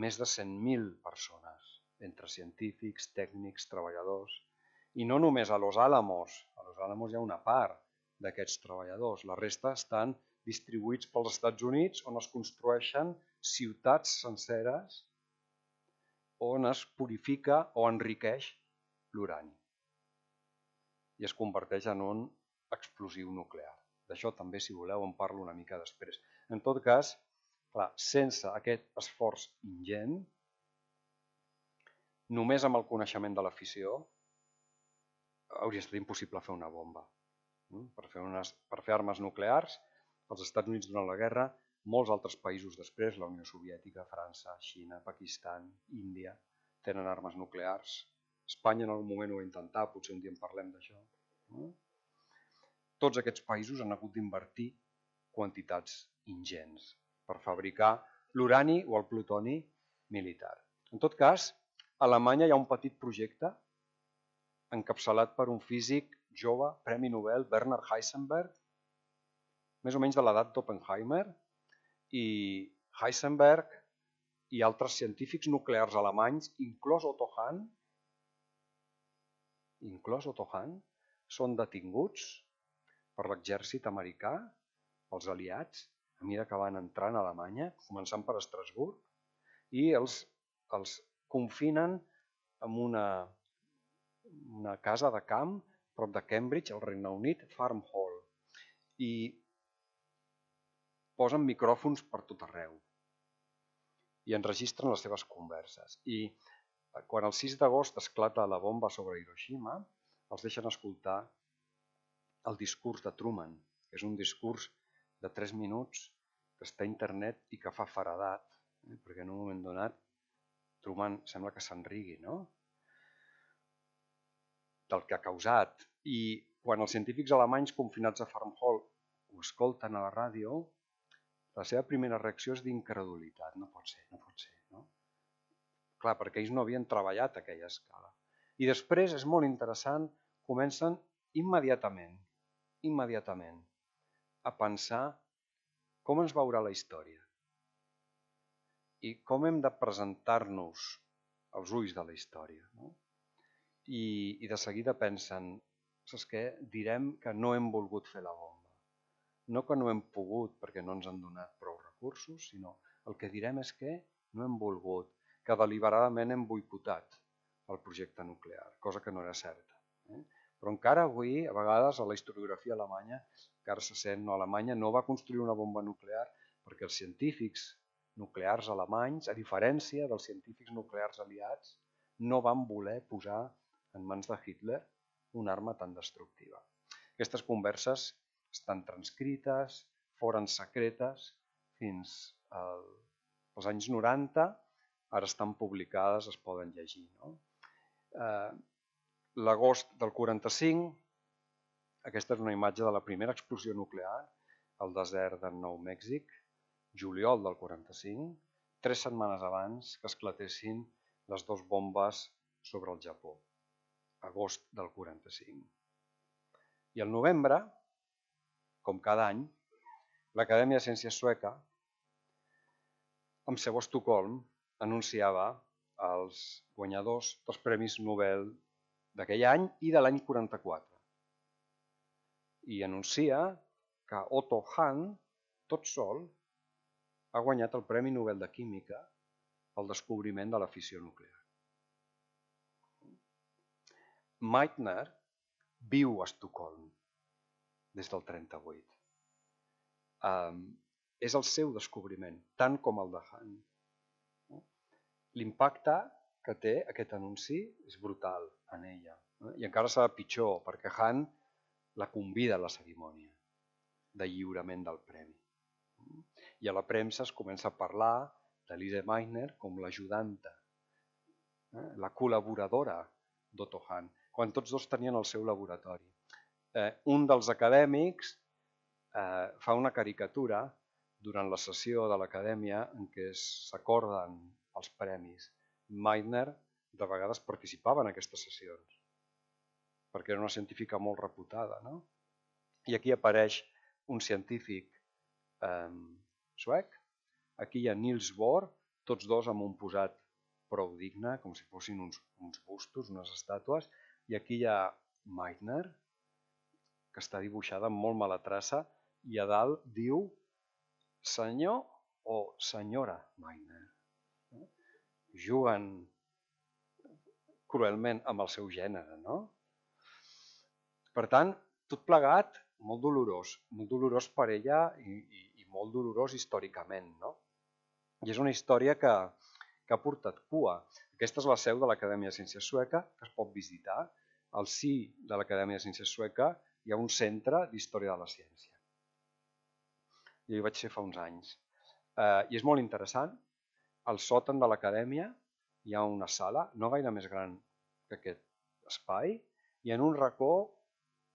més de cent mil persones, entre científics, tècnics, treballadors. I no només a Los Alamos. A Los Alamos hi ha una part d'aquests treballadors. La resta estan distribuïts pels Estats Units, on es construeixen ciutats senceres on es purifica o enriqueix l'urani i es converteix en un explosiu nuclear. D'això també, si voleu, en parlo una mica després. En tot cas, clar, sense aquest esforç ingent, només amb el coneixement de la fissió, hauria estat impossible fer una bomba. Per fer, unes, per fer armes nuclears, els Estats Units durant la guerra, molts altres països després, la Unió Soviètica, França, Xina, Pakistan, Índia, tenen armes nuclears. Espanya en algun moment ho va intentar, potser un dia en parlem d'això. Tots aquests països han hagut d'invertir quantitats ingents per fabricar l'urani o el plutoni militar. En tot cas, a Alemanya hi ha un petit projecte encapçalat per un físic jove, Premi Nobel, Bernard Heisenberg, més o menys de l'edat d'Oppenheimer, i Heisenberg i altres científics nuclears alemanys, inclòs Otto Hahn, inclòs Otto Hahn, són detinguts per l'exèrcit americà, els aliats, a mesura que van entrant a Alemanya, començant per Estrasburg, i els, els confinen en una, una casa de camp prop de Cambridge, al Regne Unit, Farm Hall, i posen micròfons per tot arreu i enregistren les seves converses. I quan el sis d'agost esclata la bomba sobre Hiroshima, els deixen escoltar el discurs de Truman, que és un discurs de tres minuts que està a internet i que fa faradat, eh? perquè en un moment donat Truman sembla que se'n rigui, no? del que ha causat. I quan els científics alemanys confinats a Farmhall ho escolten a la ràdio, la seva primera reacció és d'incredulitat. No pot ser, no pot ser. No? Clar, perquè ells no havien treballat a aquella escala. I després, és molt interessant, comencen immediatament, immediatament, a pensar com ens veurà la història i com hem de presentar-nos als ulls de la història. No? I, I de seguida pensen, saps què? Direm que no hem volgut fer la bomba. No que no hem pogut perquè no ens han donat prou recursos, sinó el que direm és que no hem volgut, que deliberadament hem boicotat el projecte nuclear, cosa que no era certa. Eh? Però encara avui, a vegades, a la historiografia alemanya, encara se sent, no, Alemanya no va construir una bomba nuclear perquè els científics nuclears alemanys, a diferència dels científics nuclears aliats, no van voler posar en mans de Hitler una arma tan destructiva. Aquestes converses estan transcrites, foren secretes fins als anys noranta, ara estan publicades, es poden llegir. No? Eh, L'agost del quaranta-cinc, aquesta és una imatge de la primera explosió nuclear al desert de Nou Mèxic, juliol del quaranta-cinc, tres setmanes abans que esclatessin les dues bombes sobre el Japó, agost del quaranta-cinc. I al novembre, com cada any, l'Acadèmia de Ciències Sueca, amb seu a Estocolm, anunciava els guanyadors dels Premis Nobel d'aquell any i de l'any quaranta-quatre. I anuncia que Otto Hahn, tot sol, ha guanyat el Premi Nobel de Química pel descobriment de la fissió nuclear. Meitner viu a Estocolm des del trenta-vuit. Um, és el seu descobriment, tant com el de Hahn. L'impacte que té aquest anunci és brutal en ella. I encara serà pitjor, perquè Hahn la convida a la cerimònia de lliurament del premi. I a la premsa es comença a parlar de Lise Meitner com l'ajudanta, la col·laboradora d'Otto Hahn, quan tots dos tenien el seu laboratori. Eh, un dels acadèmics eh, fa una caricatura durant la sessió de l'acadèmia en què s'acorden els premis. Meitner de vegades participava en aquestes sessions, perquè era una científica molt reputada. No? I aquí apareix un científic eh, suec, aquí hi ha Niels Bohr, tots dos amb un posat prou digne, com si fossin uns, uns bustos, unes estàtues, i aquí hi ha Meitner, que està dibuixada amb molt mala traça, i a dalt diu senyor o senyora Meitner. Juguen cruelment amb el seu gènere, no? Per tant, tot plegat, molt dolorós, molt dolorós per ella i, i, i molt dolorós històricament, no? I és una història que, que ha portat cua. Aquesta és la seu de l'Acadèmia de Ciències Sueca, que es pot visitar. Al si de l'Acadèmia de Ciències Sueca hi ha un centre d'història de la ciència. Jo hi vaig ser fa uns anys. Eh, I és molt interessant. Al sòtan de l'acadèmia hi ha una sala, no gaire més gran que aquest espai, i en un racó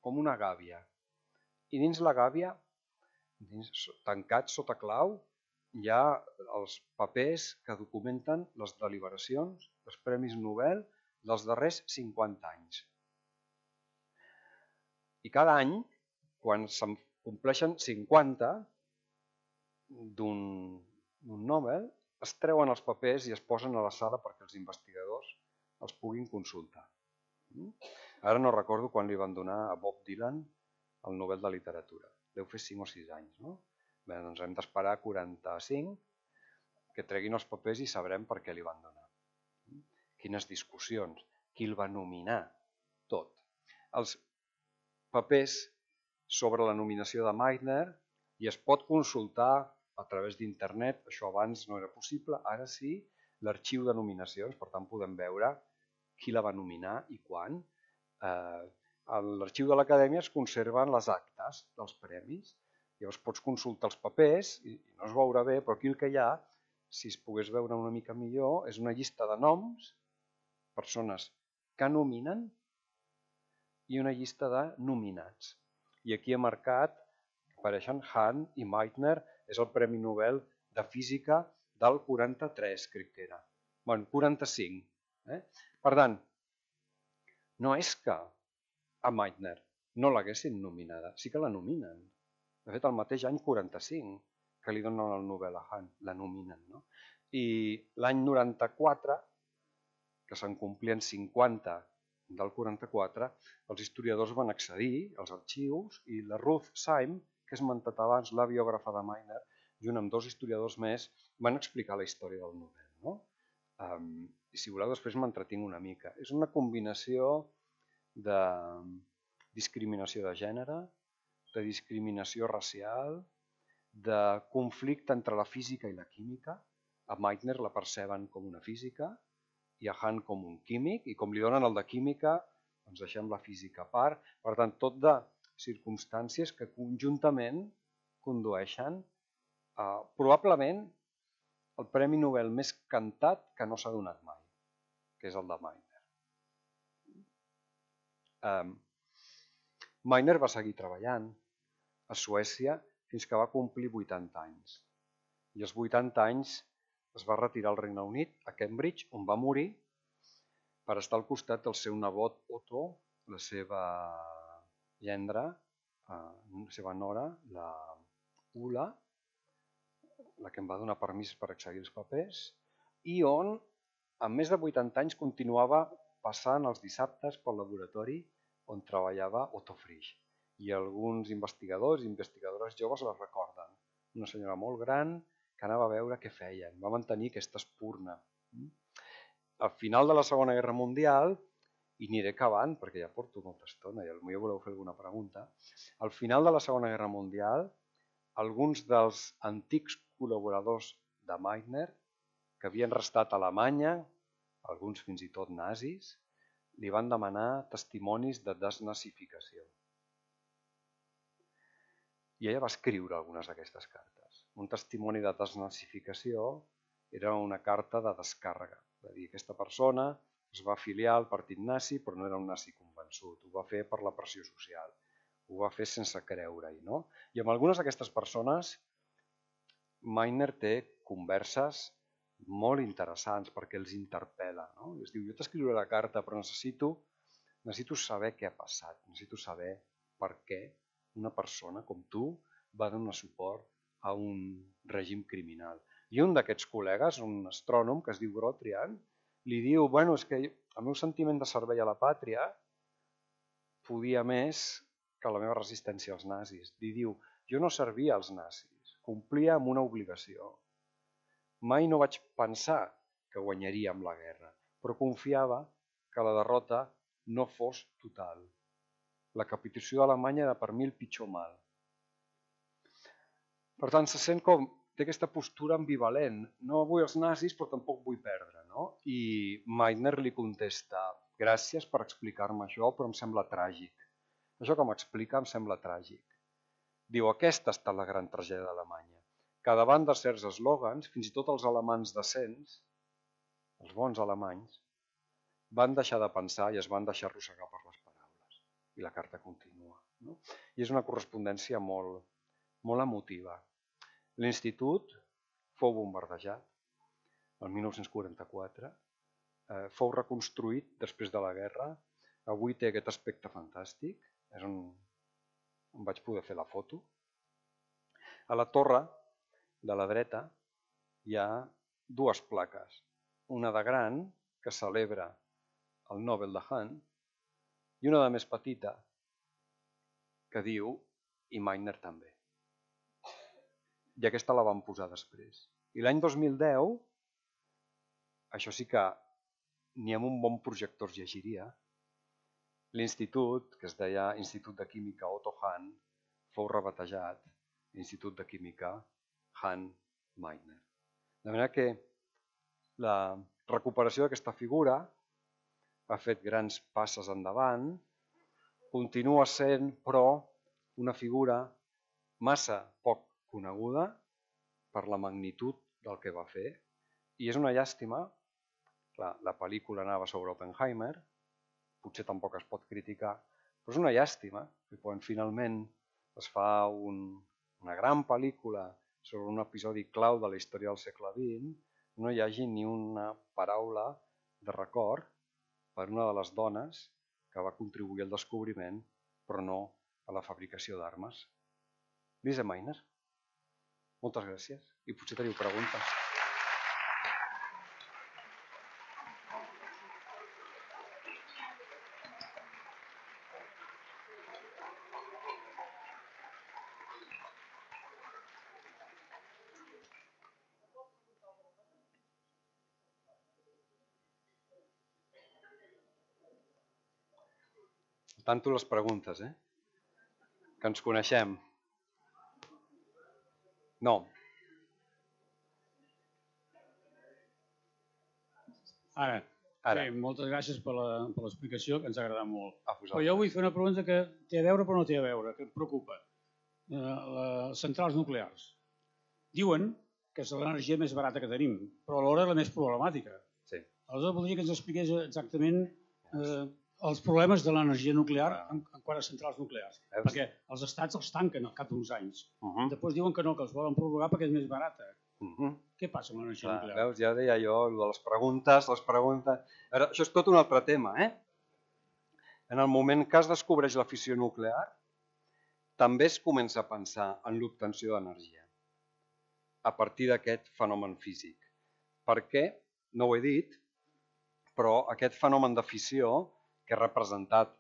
com una gàbia. I dins la gàbia, dins, tancat sota clau, hi ha els papers que documenten les deliberacions dels Premis Nobel dels darrers cinquanta anys. I cada any, quan se'n compleixen cinquanta d'un Nobel, es treuen els papers i es posen a la sala perquè els investigadors els puguin consultar. Ara no recordo quan li van donar a Bob Dylan el Nobel de Literatura. Deu fer cinc o sis anys, no? Bé, doncs hem d'esperar quaranta-cinc que treguin els papers i sabrem per què li van donar. Quines discussions, qui el va nominar, tot. Els papers sobre la nominació de Meitner i es pot consultar a través d'internet, això abans no era possible, ara sí, l'arxiu de nominacions, per tant podem veure qui la va nominar i quan. Eh, a l'arxiu de l'acadèmia es conserven les actes dels premis, llavors pots consultar els papers i no es veurà bé, però aquí el que hi ha, si es pogués veure una mica millor, és una llista de noms, persones que nominen i una llista de nominats. I aquí he marcat, apareixen Hahn i Meitner, és el Premi Nobel de Física del quaranta-tres, crec que era. Bueno, quaranta-cinc. Eh? Per tant, no és que a Meitner no l'haguessin nominada, sí que la nominen. De fet, el mateix any quaranta-cinc, que li donen el Nobel a Hahn, la nominen. No? I l'any noranta-quatre, que se'n complien cinquanta del quaranta-quatre, els historiadors van accedir als arxius i la Ruth Syme, que he esmentat abans, la biògrafa de Meitner, junt amb dos historiadors més, van explicar la història del Nobel. No? Um, I si voleu, després m'entretinc una mica. És una combinació de discriminació de gènere, de discriminació racial, de conflicte entre la física i la química. A Meitner la perceben com una física i a Hahn com un químic, i com li donen el de química, doncs deixem la física a part. Per tant, tot de circumstàncies que conjuntament condueixen a, probablement, el Premi Nobel més cantat que no s'ha donat mai, que és el de Meitner. Um, Meitner va seguir treballant a Suècia fins que va complir vuitanta anys. I als vuitanta anys es va retirar al Regne Unit, a Cambridge, on va morir, per estar al costat del seu nebot Otto, la seva gendra, la seva nora, la Ulla, la que em va donar permís per accedir als papers, i on, amb més de vuitanta anys, continuava passant els dissabtes pel laboratori on treballava Otto Frisch. I alguns investigadors i investigadores joves la recorden. Una senyora molt gran que anava a veure què feien, va mantenir aquesta espurna. Al final de la Segona Guerra Mundial, i aniré acabant perquè ja porto molta estona i potser voleu fer alguna pregunta, al final de la Segona Guerra Mundial, alguns dels antics col·laboradors de Meitner, que havien restat a Alemanya, alguns fins i tot nazis, li van demanar testimonis de desnazificació. I ella va escriure algunes d'aquestes cartes. Un testimoni de desnazificació era una carta de descàrrega. Va dir, aquesta persona es va afiliar al partit nazi, però no era un nazi convençut. Ho va fer per la pressió social. Ho va fer sense creure-hi. No? I amb algunes d'aquestes persones, Meitner té converses molt interessants perquè els interpel·la. No? Es diu, jo t'escriuré la carta, però necessito, necessito saber què ha passat. Necessito saber per què una persona com tu va donar suport a un règim criminal. I un d'aquests col·legues, un astrònom que es diu Grotrian, li diu, bueno, és que el meu sentiment de servei a la pàtria podia més que la meva resistència als nazis. Li diu, jo no servia als nazis, complia amb una obligació. Mai no vaig pensar que guanyaríem la guerra, però confiava que la derrota no fos total. La capitulació d'Alemanya era per mi el pitjor mal. Per tant, se sent com, té aquesta postura ambivalent. No vull els nazis, però tampoc vull perdre. No? I Meitner li contesta, gràcies per explicar-me això, però em sembla tràgic. Això que m'explica em sembla tràgic. Diu, aquesta ha estat la gran tragèdia d'Alemanya, que davant de certs eslògans, fins i tot els alemans decents, els bons alemanys, van deixar de pensar i es van deixar arrossegar per les paraules. I la carta continua. No? I és una correspondència molt, molt emotiva. L'institut fou bombardejat el mil nou-cents quaranta-quatre, eh, fou reconstruït després de la guerra, avui té aquest aspecte fantàstic, és on, on vaig poder fer la foto. A la torre de la dreta hi ha dues plaques, una de gran que celebra el Nobel de Hahn i una de més petita que diu i Meitner també. I aquesta la van posar després. I l'any dos mil deu, això sí que ni amb un bon projector es llegiria, l'institut, que es deia Institut de Química Otto Hahn, fou rebatejat Institut de Química Hahn-Meitner. De manera que la recuperació d'aquesta figura ha fet grans passes endavant, continua sent, però, una figura massa poc coneguda per la magnitud del que va fer, i és una llàstima, clar, la pel·lícula anava sobre Oppenheimer, potser tampoc es pot criticar, Però és una llàstima que quan finalment es fa un, una gran pel·lícula sobre un episodi clau de la història del segle vint, no hi hagi ni una paraula de record per una de les dones que va contribuir al descobriment, però no a la fabricació d'armes. Lise Meitner. Moltes gràcies. I potser teniu preguntes. Tanto les preguntes, eh? Que ens coneixem. No. Ara, Ara. Bé, moltes gràcies per l'explicació, que ens ha agradat molt. Ah, Però jo vull fer una pregunta que té a veure però no té a veure, que em preocupa. Eh, les centrals nuclears. Diuen que és l'energia més barata que tenim, però alhora la més problemàtica. Sí. Aleshores, voldria que ens expliqués exactament eh, els problemes de l'energia nuclear en, en quant a centrals nuclears. Veus? Perquè els estats els tanquen al cap d'uns anys. Uh -huh. Després diuen que no, que els volen prorrogar perquè és més barata. Uh -huh. Què passa amb l'energia Clar, nuclear? Veus, ja deia jo, de les preguntes, les preguntes... Ara, això és tot un altre tema, eh? En el moment que es descobreix la fissió nuclear, també es comença a pensar en l'obtenció d'energia a partir d'aquest fenomen físic. Per què? No ho he dit, però aquest fenomen de fissió, que és representat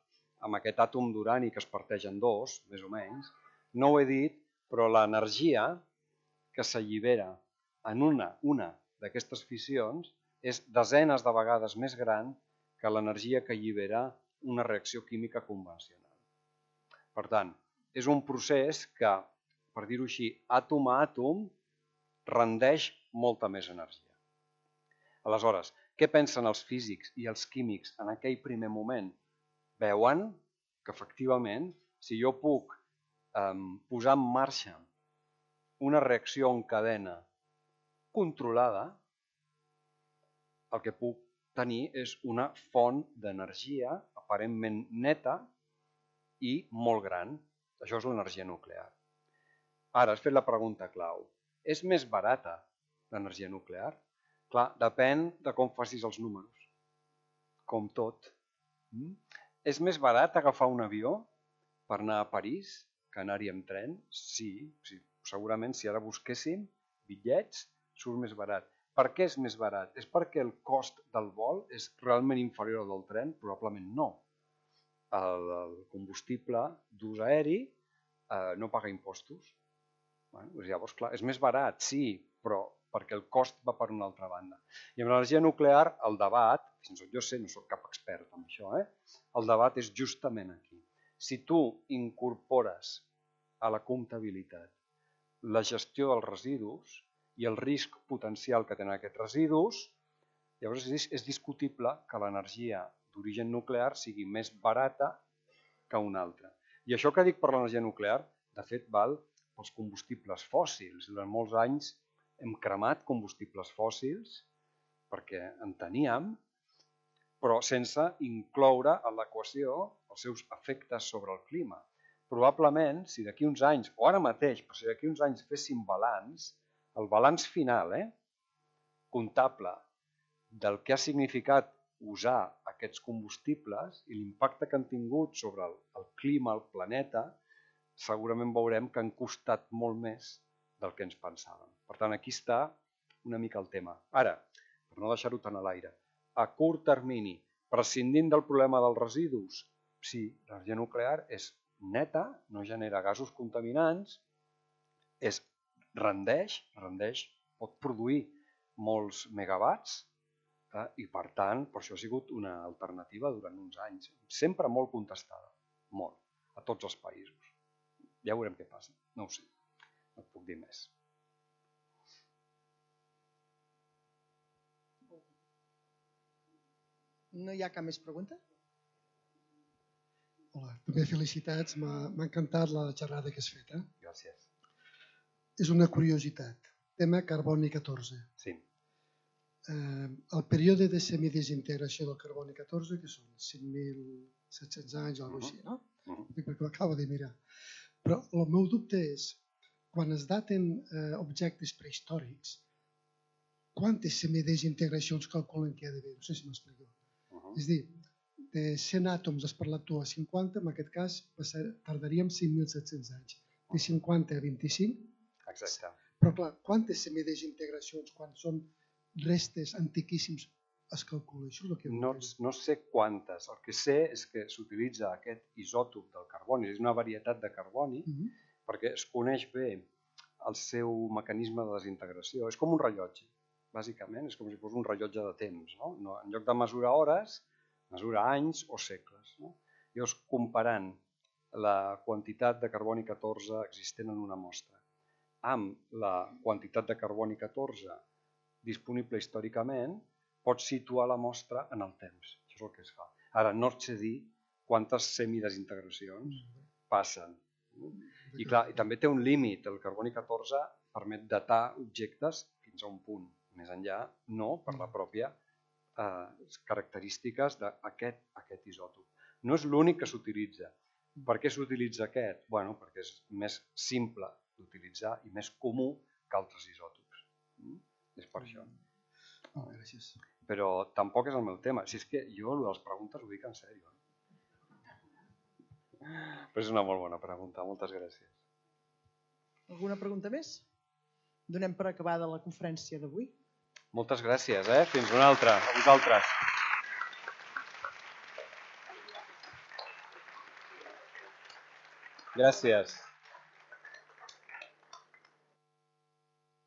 amb aquest àtom d'urani que es parteix en dos, més o menys, no ho he dit, però l'energia que s'allibera en una, una d'aquestes fissions és desenes de vegades més gran que l'energia que allibera una reacció química convencional. Per tant, és un procés que, per dir-ho així, àtom a àtom, rendeix molta més energia. Aleshores, què pensen els físics i els químics en aquell primer moment? Veuen que, efectivament, si jo puc eh, posar en marxa una reacció en cadena controlada, el que puc tenir és una font d'energia aparentment neta i molt gran. Això és l'energia nuclear. Ara, has fet la pregunta clau. És més barata l'energia nuclear? Clar, depèn de com facis els números. Com tot. Mm? És més barat agafar un avió per anar a París que anar-hi amb tren? Sí, sí, segurament si ara busquéssim bitllets surt més barat. Per què és més barat? És perquè el cost del vol és realment inferior al del tren? Probablement no. El, el combustible d'ús aeri eh, no paga impostos. Bueno, llavors, clar, és més barat, sí, però perquè el cost va per una altra banda. I amb l'energia nuclear, el debat, fins i tot jo sé, no soc cap expert en això, eh? El debat és justament aquí. Si tu incorpores a la comptabilitat la gestió dels residus i el risc potencial que tenen aquests residus, llavors és, és discutible que l'energia d'origen nuclear sigui més barata que una altra. I això que dic per l'energia nuclear, de fet, val pels combustibles fòssils. Durant molts anys hem cremat combustibles fòssils perquè en teníem, però sense incloure en l'equació els seus efectes sobre el clima. Probablement, si d'aquí uns anys, o ara mateix, però si d'aquí uns anys féssim balanç, el balanç final, eh, comptable del que ha significat usar aquests combustibles i l'impacte que han tingut sobre el, el clima, el planeta, segurament veurem que han costat molt més del que ens pensàvem. Per tant, aquí està una mica el tema. Ara, per no deixar-ho tant a l'aire, a curt termini, prescindint del problema dels residus, sí, l'energia nuclear és neta, no genera gasos contaminants, és, rendeix, rendeix, pot produir molts megawatts eh, i per tant, per això ha sigut una alternativa durant uns anys, sempre molt contestada, molt, a tots els països. Ja veurem què passa, no ho sé, no et puc dir més. No hi ha cap més pregunta? Hola, també felicitats, m'ha encantat la xerrada que has fet. Eh? Gràcies. És una curiositat, tema carboni catorze. Sí. Eh, el període de semidesintegració del carboni catorze, que són cinc mil set-cents anys o alguna cosa així, no? perquè ho acabo de mirar. Però el meu dubte és, quan es daten eh, objectes prehistòrics, quantes semidesintegracions calculen que hi ha d'haver? No sé si m'explico. Uh -huh. És a dir, de cent àtoms has parlat tu a cinquanta, en aquest cas passar, tardaríem cinc mil set-cents anys. De cinquanta a vint-i-cinc. Exacte. Però clar, quantes semidesintegracions, quan són restes antiquíssims, es calcula? Això és el que no, no sé quantes. El que sé és que s'utilitza aquest isòtop del carboni, és una varietat de carboni, uh -huh. perquè es coneix bé el seu mecanisme de desintegració. És com un rellotge, bàsicament, és com si fos un rellotge de temps. No? No, en lloc de mesurar hores, mesura anys o segles. No? Llavors, comparant la quantitat de carboni catorze existent en una mostra amb la quantitat de carboni catorze disponible històricament, pots situar la mostra en el temps. Això és el que es fa. Ara, no et sé dir quantes semidesintegracions passen. I clar, i també té un límit. El carboni catorze permet datar objectes fins a un punt. Més enllà, no, per la pròpia eh, característiques d'aquest aquest isòtop. No és l'únic que s'utilitza. Per què s'utilitza aquest? Bueno, perquè és més simple d'utilitzar i més comú que altres isòtops. Mm? És per això. Oh, gràcies. Però tampoc és el meu tema. Si és que jo, el de les preguntes, ho dic en sèrio. Però és una molt bona pregunta. Moltes gràcies. Alguna pregunta més? Donem per acabada la conferència d'avui. Moltes gràcies, eh? Fins una altra. A vosaltres. Gràcies.